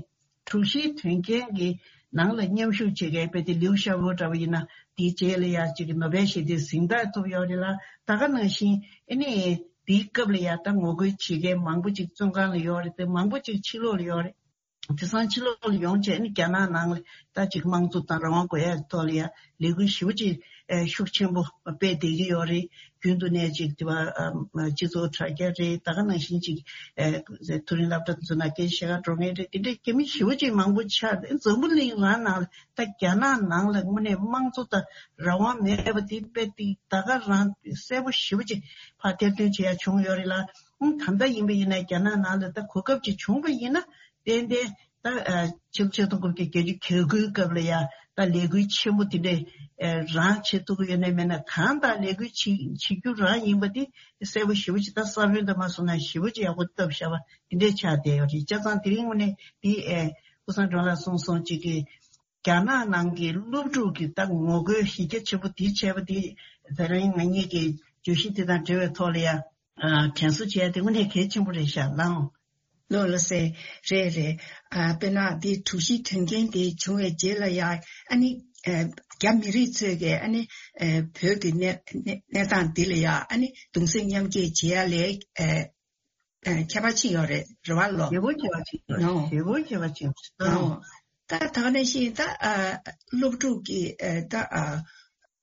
དྲུག་བཞིའི་དོན་རྐྱེན་གྱི་ནང་ལ་མཉམ་ཞུགས་བྱེད་མཁན་དཔེ་དེ་ལིའུ་ཞའོ་པོ་འདྲ་བ་ཡིན་ན་དེའི་རྗེས་ལ་ཡང་ཅིག་ནོ་བེལ་ཞི་བདེའི་གཟེངས་རྟགས་ཐོབ་ཡོད་རེད་ལ། ད་ག་ནང་བཞིན་ཨེ་ནི། དེའི་སྐབས་ལ་ཡ་ད་ངོ་རྒོལ་བྱེད་མཁན་མང་པོ་ཅིག་བཙོན་ཁང་ལ་ཡོད་རེད་དེ། མང་པོ་ཅིག་ཕྱི་ལོགས་ལ་ཡོད་རེད། དེང་སང་ཕྱི་ལོགས་ལ་ཡོང་བྱས་ནས་རྒྱ་ནག་ནང་ལ་ད་ཅིག་དམངས་གཙོ་དང་རང་དབང་དགོས་ཡ་ཐོག་ལ་ཡ་ལས་འགུལ་ཞེ་པོ་ཅིག་ཨ་ཤུགས་ཆེན་པོ་སྤེལ་བསྡད་ཀྱི་ཡོད་རེད། རྒྱུན་དུ་ནས་ཅིག་དེ་བ་ཨ་སྤྱི་ཚོགས་དྲ་རྒྱ་རེད། ད་ག་ནང་བཞིན་ཅིག་ཨ་མཐོ་རིམ་སློབ་གྲྭ་དེ་ཚོ་ནང་སྐད་ཆ་བཤད་ག་འགྲོ་མཁན་རེད། དེ་འདྲའི་རྒྱ་མི་ཞེ་པོ་ཅིག་མང་པོ་ཆགས། འཛམ་བུ་གླིང་རང་ནང་ལ་ད་རྒྱ་ནག་ནང་ལ་དངོས་གནས་དམངས་གཙོ་དང་རང་དབང་མེད་པ་དེ་དཔེ་དེ་ད་ག་རང་གསལ་པོ་ཞེ་པོ་ཅིག་ཕར་ཐེར་འདོན་བྱེད་ཡ་བྱུང་ཡོད་རེད་ལ། ཨང་། ད་ལྟ་ཡིན་པ་ཡིན་ན་རྒྱ་ནག་ནང་ལ་ད་གོ་སྐབས་ཅིག་བྱུང་པ་ཡིན་ན་ཏན་ཏན་ད་ཨ་ཕྱི་ལོ་ཆིག་སྟོང་དགུ་བརྒྱ་བརྒྱད་ཅུ་གྱ་དགུའི་སྐབས་ལ་ཡ་ད་ལས་འགུལ་ཆེན་པོ་དེ་འདྲས་ཨ་རང་བྱེད་ཐུབ་ཀྱི་ཡོད་ན་མེད་ན། གང་ལྟར་ལས་འགུལ་བྱེད་བྱེད་རྒྱུ་རང་ཡིན་པ་དེ་གསལ་པོ་ཞེ་པོ་ཅིག་ད་ས་བོན་དང་མ་སོང་ན་ཞེ་པོ་ཅིག་ཡག་པོ་བཏབ་བཞག་པ་དེ་འདྲས་ཆགས་བསྡད་ཡོད་རེད། བྱས་ཙང་དེ་རིང་དངོས་གནས་དེ་ཨ་སྐུ་བཟང་སྒྲོལ་ལགས་གསུངས་སོང་ཅིག་གི་རྒྱ་ནག་ནང་གི་སློབ་ཕྲུག་གི་ད་ངོ་རྒོལ་གཞི་རྒྱ་ཆེན་པོ་དེ་བྱས་པ་དེ་དེ་རིང་ང་གཉིས་ཀྱི་བརྗོད་གཞི་དེ་དང་འབྲེལ་བའི་ཐོག་ལ་ཡ་ཨ་དྲན་གསོ་བྱས་ཏེ་དངོས་གནས་གལ་ཆེན་པོ་རེད་ཤག་ལགས། ལགས་ལགས་སེ། རེད་རེད། ཨ་དཔེར་ན་འདི་དྲུག་བཞིའི་དོན་རྐྱེན་དེ་བྱུང་བའི་རྗེས་ལ་ཡ་ཨ་ནི་ཨ་རྒྱ་མི་རིགས་ཚོས་ཀྱི་ཨ་ནི་ཨ་བོད་ཀྱི་གནས་གནས་གནས་སྟངས་འདི་ལ་ཡ་ཨ་ནི་གདུང་སེམས་མཉམ་སྐྱེད་བྱེད་ཡ་ལས་ཨ་ཨ་ཁྱད་པར་ཕྱིན་ཡོད་རེད། རེད་བ་ལོ། ཞེ་པོ་ཁྱད་པར་ཕྱིན་ཡོད་རེད། ནོ། ཞེ་པོ་ཁྱད་པར་ཕྱིན་ཡོད་རེད། ནོ། ད་ད་ག་ནང་བཞིན་ད་ཨ་སློབ་ཕྲུག་གི་ཨ་ད་ཨ་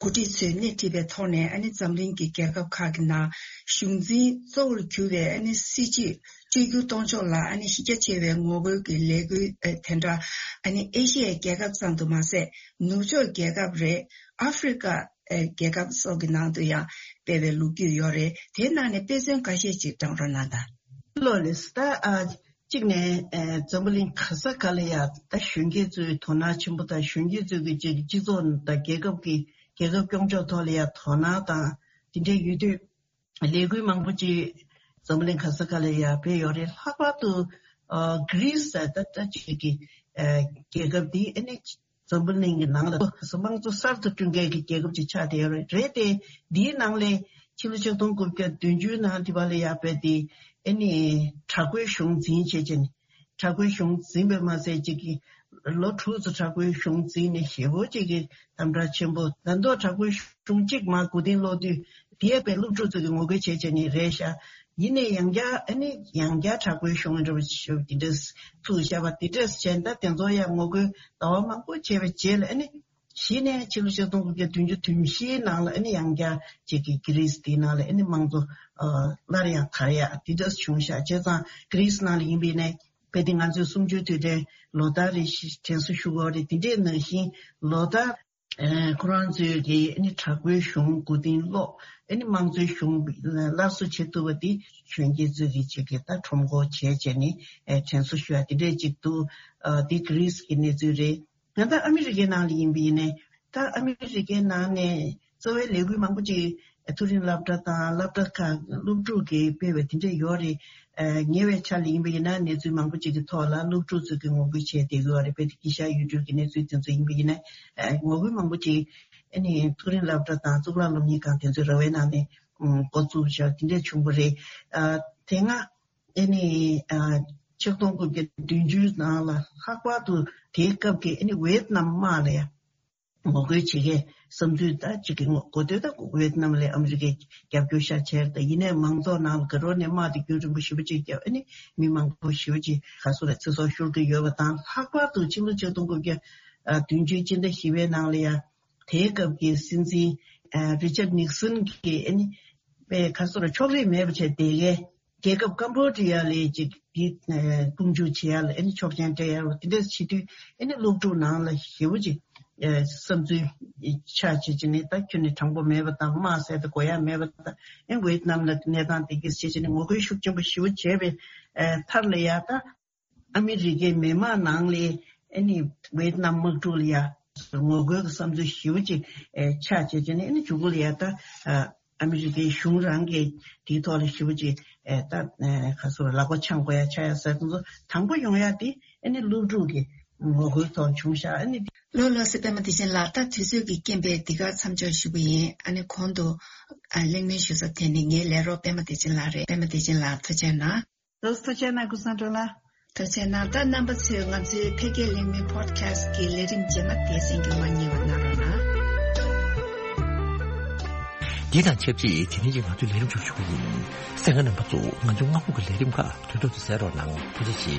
འགོ་ཁྲིད་ཚོས་སྣེ་ཁྲིད་པའི་ཐོག་ནས་ཨ་ནི་འཛམ་གླིང་གི་རྒྱལ་ཁབ་ཁག་གི་ནང་གཞུང་འཛིན་གཙོ་བོར་གྱུར་བའི་ཨ་ནི་སྲིད་བྱུས་བཅོས་བསྒྱུར་གཏོང་ཕྱོགས་ལ་ཨ་ནི་གཞི་རྒྱ་ཆེ་བའི་ངོ་རྒོལ་གྱི་ལས་འགུལ་ཨ་དེ་འདྲ་ཨ་ནི་ཨེ་ཤི་ཡའི་རྒྱལ་ཁབ་ཙམ་དུ་མ་ཟད། ནུབ་ཕྱོགས་རྒྱལ་ཁབ་རེད། ཨ་ཧྥེ་རི་ཀ་ཨེ་རྒྱལ་ཁབ་སོགས་ཀྱི་ནང་དུ་ཡང་སྤེལ་བའི་ལོ་རྒྱུས་ཡོད་རེད། དེའི་ནང་ནས་དཔེ་མཚོན་འགའ་ཤས་ཅིག་བགྲང་རོགས་གནང་དང་། ལགས་ལགས། ད་ཨ་གཅིག་ནས་ཨེ་འཛམ་བུ་གླིང་ག་ས་ག་ལ་ཡ་ད་གཞོན་སྐྱེས་ཚོའི་དོ་སྣང་ཆེན་པོ་དང་། གཞོན་སྐྱེས་ཚོའི་གི་ཅིག་སྤྱི་ཚོགས་དང་རྒྱལ་ཁབ་ཀྱི་རྒྱལ་ཁབ་སྐྱོང་ཕྱོགས་ཐོག་ལ་ཡ་དོ་སྣང་དང་དེ་འདྲའི་ཡོད་དུས། ལས་འགུལ་མང་པོ་ཅིག་འཛམ་བུ་གླིང་ག་ས་ག་ལ་ཡ་སྤེལ་ཡོད་རེད། ལྷག་པར་དུ་ཨ་གྷི་རིས་ཟེར་ད་ལྟ་ཅིག་གི་ཨ་རྒྱལ་ཁབ་འདི་ཨ་ནི་འཛམ་བུ་གླིང་གི་ནང་ལ་དམངས་གཙོ་གསར་དུ་བསྐྲུན་མཁན་གྱི་རྒྱལ་ཁབ་ཅིག་ཆགས་བསྡད་ཡོད་རེད། རེད་དེ། འདིའི་ནང་ལས་ཕྱི་ལོ་ཆིག་སྟོང་དགུ་བརྒྱ་བདུན་ཅུ་ནང་དེ་བ་ལ་ཡ་སྤེལ་ཏེ་ཨ་ནི་དྲག་པོའི་གཞུང་འཛིན་བྱས་བྱས་ནས། དྲག་པོའི་གཞུང་འཛིན་པས་མ་ཟད་ཅིག་གི་ལོ་དྲུག་ཙམ་དྲག་པོའི་གཞུང་འཛིན་ནས་ཞེ་པོ་ཅིག་གི་དམ་དྲག་ཆེན་པོ། ད་མདོ་དྲག་པོའི་གཞུང་གཅིག་མར་མགོ་རྟིང་སློག་དུས་དེའི་བས་སློབ་ཕྲུག་ཚོ་གི་ངོ་རྒོལ་བྱས་བྱས་ནས་རེད་ཤག་ཡིན་ནའི་ཡང་བསྐྱར་ཨ་ནི་ཡང་བསྐྱར་དྲག་པོའི་གཞུང་འདྲ་པོ་ཞིག་འདི་འདྲས་ཚུགས་བཞག་པ་འདི་འདྲས་བྱས། ད་དེ་ཚོ་ཡང་ངོ་རྒོལ་ཟླ་བ་མང་པོ་བྱས་པའི་རྗེས་ལ་ཨ་ནི། གཞི་ནས་ཕྱི་ལོ་ཆིག་སྟོང་དགུ་བརྒྱ་བདུན་ཅུ་དོན་བཞིའི་ནང་ལ་ཨ་ནི་ཡང་བསྐྱར་ཅིག་གི་གྷི་རིས་དེའི་ནང་ལ་ཨ་ནི་དམངས་གཙོ་ཨ་སླར་ཡང་དར་ཡག་དེ་འདྲ་བྱུང་ཤག་བྱས་ཙང་གྷི་རིས་ནང་ལ་ཡིན་པ་ཡིན་ནའི་དཔེ་དེ་ང་ཚོས་གསུམ་བཅུའི་དུས་དྲན་ལོ་ལྟར་རེ་བཞིན་དྲན་གསོ་ཞུ་དགོས་རེད། དེ་འདྲའི་ནང་བཞིན་ལོ་ལྟར་ཨ་ཁོ་རང་ཚོས་ཀྱི་ཨ་ནི་དྲག་པོའི་གཞུང་མགོ་རྟིང་སློག་ཨ་ནི་དམངས་གཙོའི་གཞུང་སླར་གསོ་བྱེད་ཐུབ་པ་དེ་གཞོན་སྐྱེས་ཚོས་ཀྱི་ཅིག་གི་ད་ཁྲོམ་སྐོར་བྱས་བྱས་ནས་ཨ་དྲན་གསོ་ཞུ་ཡག་དེ་འདྲས་ཅིག་འདུག་ཨ་དེ་གྷི་རིས་ཀྱི་གནས་ཚུལ་རེད། ད་ལྟ་ཨ་མི་རི་ཀའི་ནང་ལ་ཡིན་པ་ཡིན་ནའི། ད་ཨ་མི་རི་ཀའི་ནང་ནས་གཙོ་བའི་ལས་འགུལ་མང་པོ་ཅིག་མཐོ་རིམ་སློབ་གྲྭ་དང་སློབ་གྲྭ་ཁག་སློབ་ཕྲུག་གིས་སྤེལ་བའི་དེ་འདྲ་ཡོད་རེད། ཨ་ཉེ་བའི་ཆར་ལ་ཡིན་པ་ཡིན་ན་གནས་ཚུལ་མང་པོ་ཅིག་གི་ཐོག་ལ་སློབ་ཕྲུག་ཚོས་ཀྱི་ངོ་རྒོལ་བྱས་བསྡད་ཀྱི་ཡོད་རེད། དཔེ་དེ་དཀྱིལ་ཤར་ཡུལ་གྲུའི་གི་གནས་ཚུལ་དེ་ཚོ་ཡིན་པ་ཡིན་ན། ཨ་ངོ་རྒོལ་མང་པོ་ཅིག་ཨ་ནི་མཐོ་རིམ་སློབ་གྲྭ་དང་གཙུག་ལག་སློབ་གཉེར་ཁང་དེ་ཚོའི་ར་བའི་ནང་ནས་འགོ་བཙུགས་བཞག་དེ་འདྲ་བྱུང་བ་རེད། ཨ་དེ་སྔ་ཨ་ནི་ཨ་ཆིག་སྟོང་དགུ་བརྒྱ་བདུན་ཅུའི་ནང་ལ་ལྷག་པར་དུ་དེའི་སྐབས་ཀྱི་ཨ་ནི་ཝེད་ནམ་དམག་ལ་ཡང་ངོ་རྒོལ་བྱེད་མཁན་བསམ་ཚུལ་ད་ཅིག་གི་ངོ་གོ་ཐོས། ད་ཝེད་ནམ་ལ་ཨ་མི་རི་ཀས་རྒྱབ་སྐྱོར་ཤར་བྱས་རེད། ད་ཡིན་ནའི་མང་ཚོགས་ནང་ལ་དགའ་རོགས་ནས་དམག་དེ་རྒྱུན་རིང་པོ་ཞེ་པོ་ཅིག་བརྒྱབ། ཨ་ནི་མི་མང་པོ་ཞེ་པོ་ཅིག་ག་སོ་ར་ཚེ་སྲོག་ཤོར་གྱི་ཡོད་པ་དང་། ལྷག་པར་དུ་ཕྱི་ལོ་ཆིག་སྟོང་དགུ་བརྒྱ་བདུན་ཅུའི་སྤྱི་ཟླ་བཞི་པའི་ནང་ལ་ཡང་དེའི་སྐབས་ཀྱི་སྲིད་འཛིན་ཨ་རི་ཅར་ནིག་སོན་གྱིས་ཨ་ནི་པའི་ཁ་སོ་ར་ཕྱོགས་རིས་མེད་པ་བྱས་བསྡད་མཁན་རྒྱལ་ཁབ་ཀམ་པོ་ཌི་ཡ་ལ་ཅིག་འདི་ཨ་དཔུང་འཇུག་བྱེད་ཡ་ལ་ཨ་ནི་ཆོག་མཆན་སྤྲད་ཡ་ལ་དེ་འདྲས་བྱེད་དུས། ཨ་ནི་སློབ་ཕྲུག་ནང་ལ་ཞེ་པོ་ཅིག་ཨ་བསམ་ཚུལ་ཆགས་བྱེད་ཀྱི་ནི། ད་ཁྱོད་ནི་དྲང་པོ་མེད་པ་དང་། དམག་ཟེར་དེ་དགོས་ཡ་མེད་པ་དང་། ཨ་ཝེད་ནམ་ལ་གནས་སྟངས་དེ་གིས་བྱེད་ཀྱི་ནི་ངོ་རྒོལ་ཤུགས་ཆེན་པོ་ཞེ་པོ་བྱས་པའི་ཨ་མཐར་ལ་ཡ་ད། ཨ་མི་རི་ཀའི་མི་མང་ནང་ལས་ཨ་ནི་ཝེད་ནམ་དམག་འཁྲུག་ལ་ཡ་ངོ་རྒོལ་གྱི་བསམ་ཚུལ་ཞེ་པོ་ཅིག་ཨེ་ཆགས་བྱས་བྱས་ནས། ཨ་ནི་མཇུག་གུ་ལ་ཡ་ད་ཨ་ཨ་མི་རི་ཀའི་གཞུང་རང་གིས་དེའི་ཐོག་ལ་ཞེ་པོ་ཅིག་ཨེ་ད་ཨེ་ག་ཚོད་ལག་པ་འཆང་དགོས་ཡ་ཆགས་ཡ་ཟེར་དེ་ཚོ་དང་པོ་ཡོང་ཡ་དེ་ཨ་ནི་སློབ་ཕྲུག་གི་ངོ་རྒོལ་ཐོག་བྱུང་ཤག་ཨ་ནི། ལགས་ལགས་སེ། པད་མ་བདེ་ཆེན་ལགས། ད་དུས་ཚོད་ཀྱི་རྐྱེན་པས་འདི་གར་མཚམས་འཇོག་ཞུ་གི་ཡིན། ཨ་ནི་གོང་དུ་ཨ་གླེང་མོལ་ཞུ་ས་དེ་ནི་ངའི་ལས་རོགས་པད་མ་བདེ་ཆེན་ལགས་རེད། པད་མ་བདེ་ཆེན་ལགས་ཐུགས་རྗེ་གནང་། ལགས་སོ། ཐུགས་རྗེ་གནང་། ཀུན་བཟང་སྒྲོལ་ལགས། ཐུགས་རྗེ་གནང་། ད་རྣམ་པ་ཚོས་ང་ཚོའི་འཕེལ་རྒྱས་གླེང་མོལ་པོ་ཌི་ཁ་སི་ཊི་གི་ལས་རིམ་རྗེས་མ་དེ་གསན་རྒྱུ་མ་བསྙེལ་བ་གནང་རོགས་གནང་། འདི་དང་ཆབས་ཅིག་དེ་རིང་གི་ང་ཚོའི་ལས་རིམ་ཞུ་ཞུ་གི་ཡིན། གསན་མཁན་རྣམ་པ་ཚོ་ང་ཚོའི་སྔ་དགོང་གི་ལས་རིམ་ཁག་དུས་ཐོག་ཏུ་གསན་རོགས་གནང་། ཐུགས་རྗེ་ཆེ།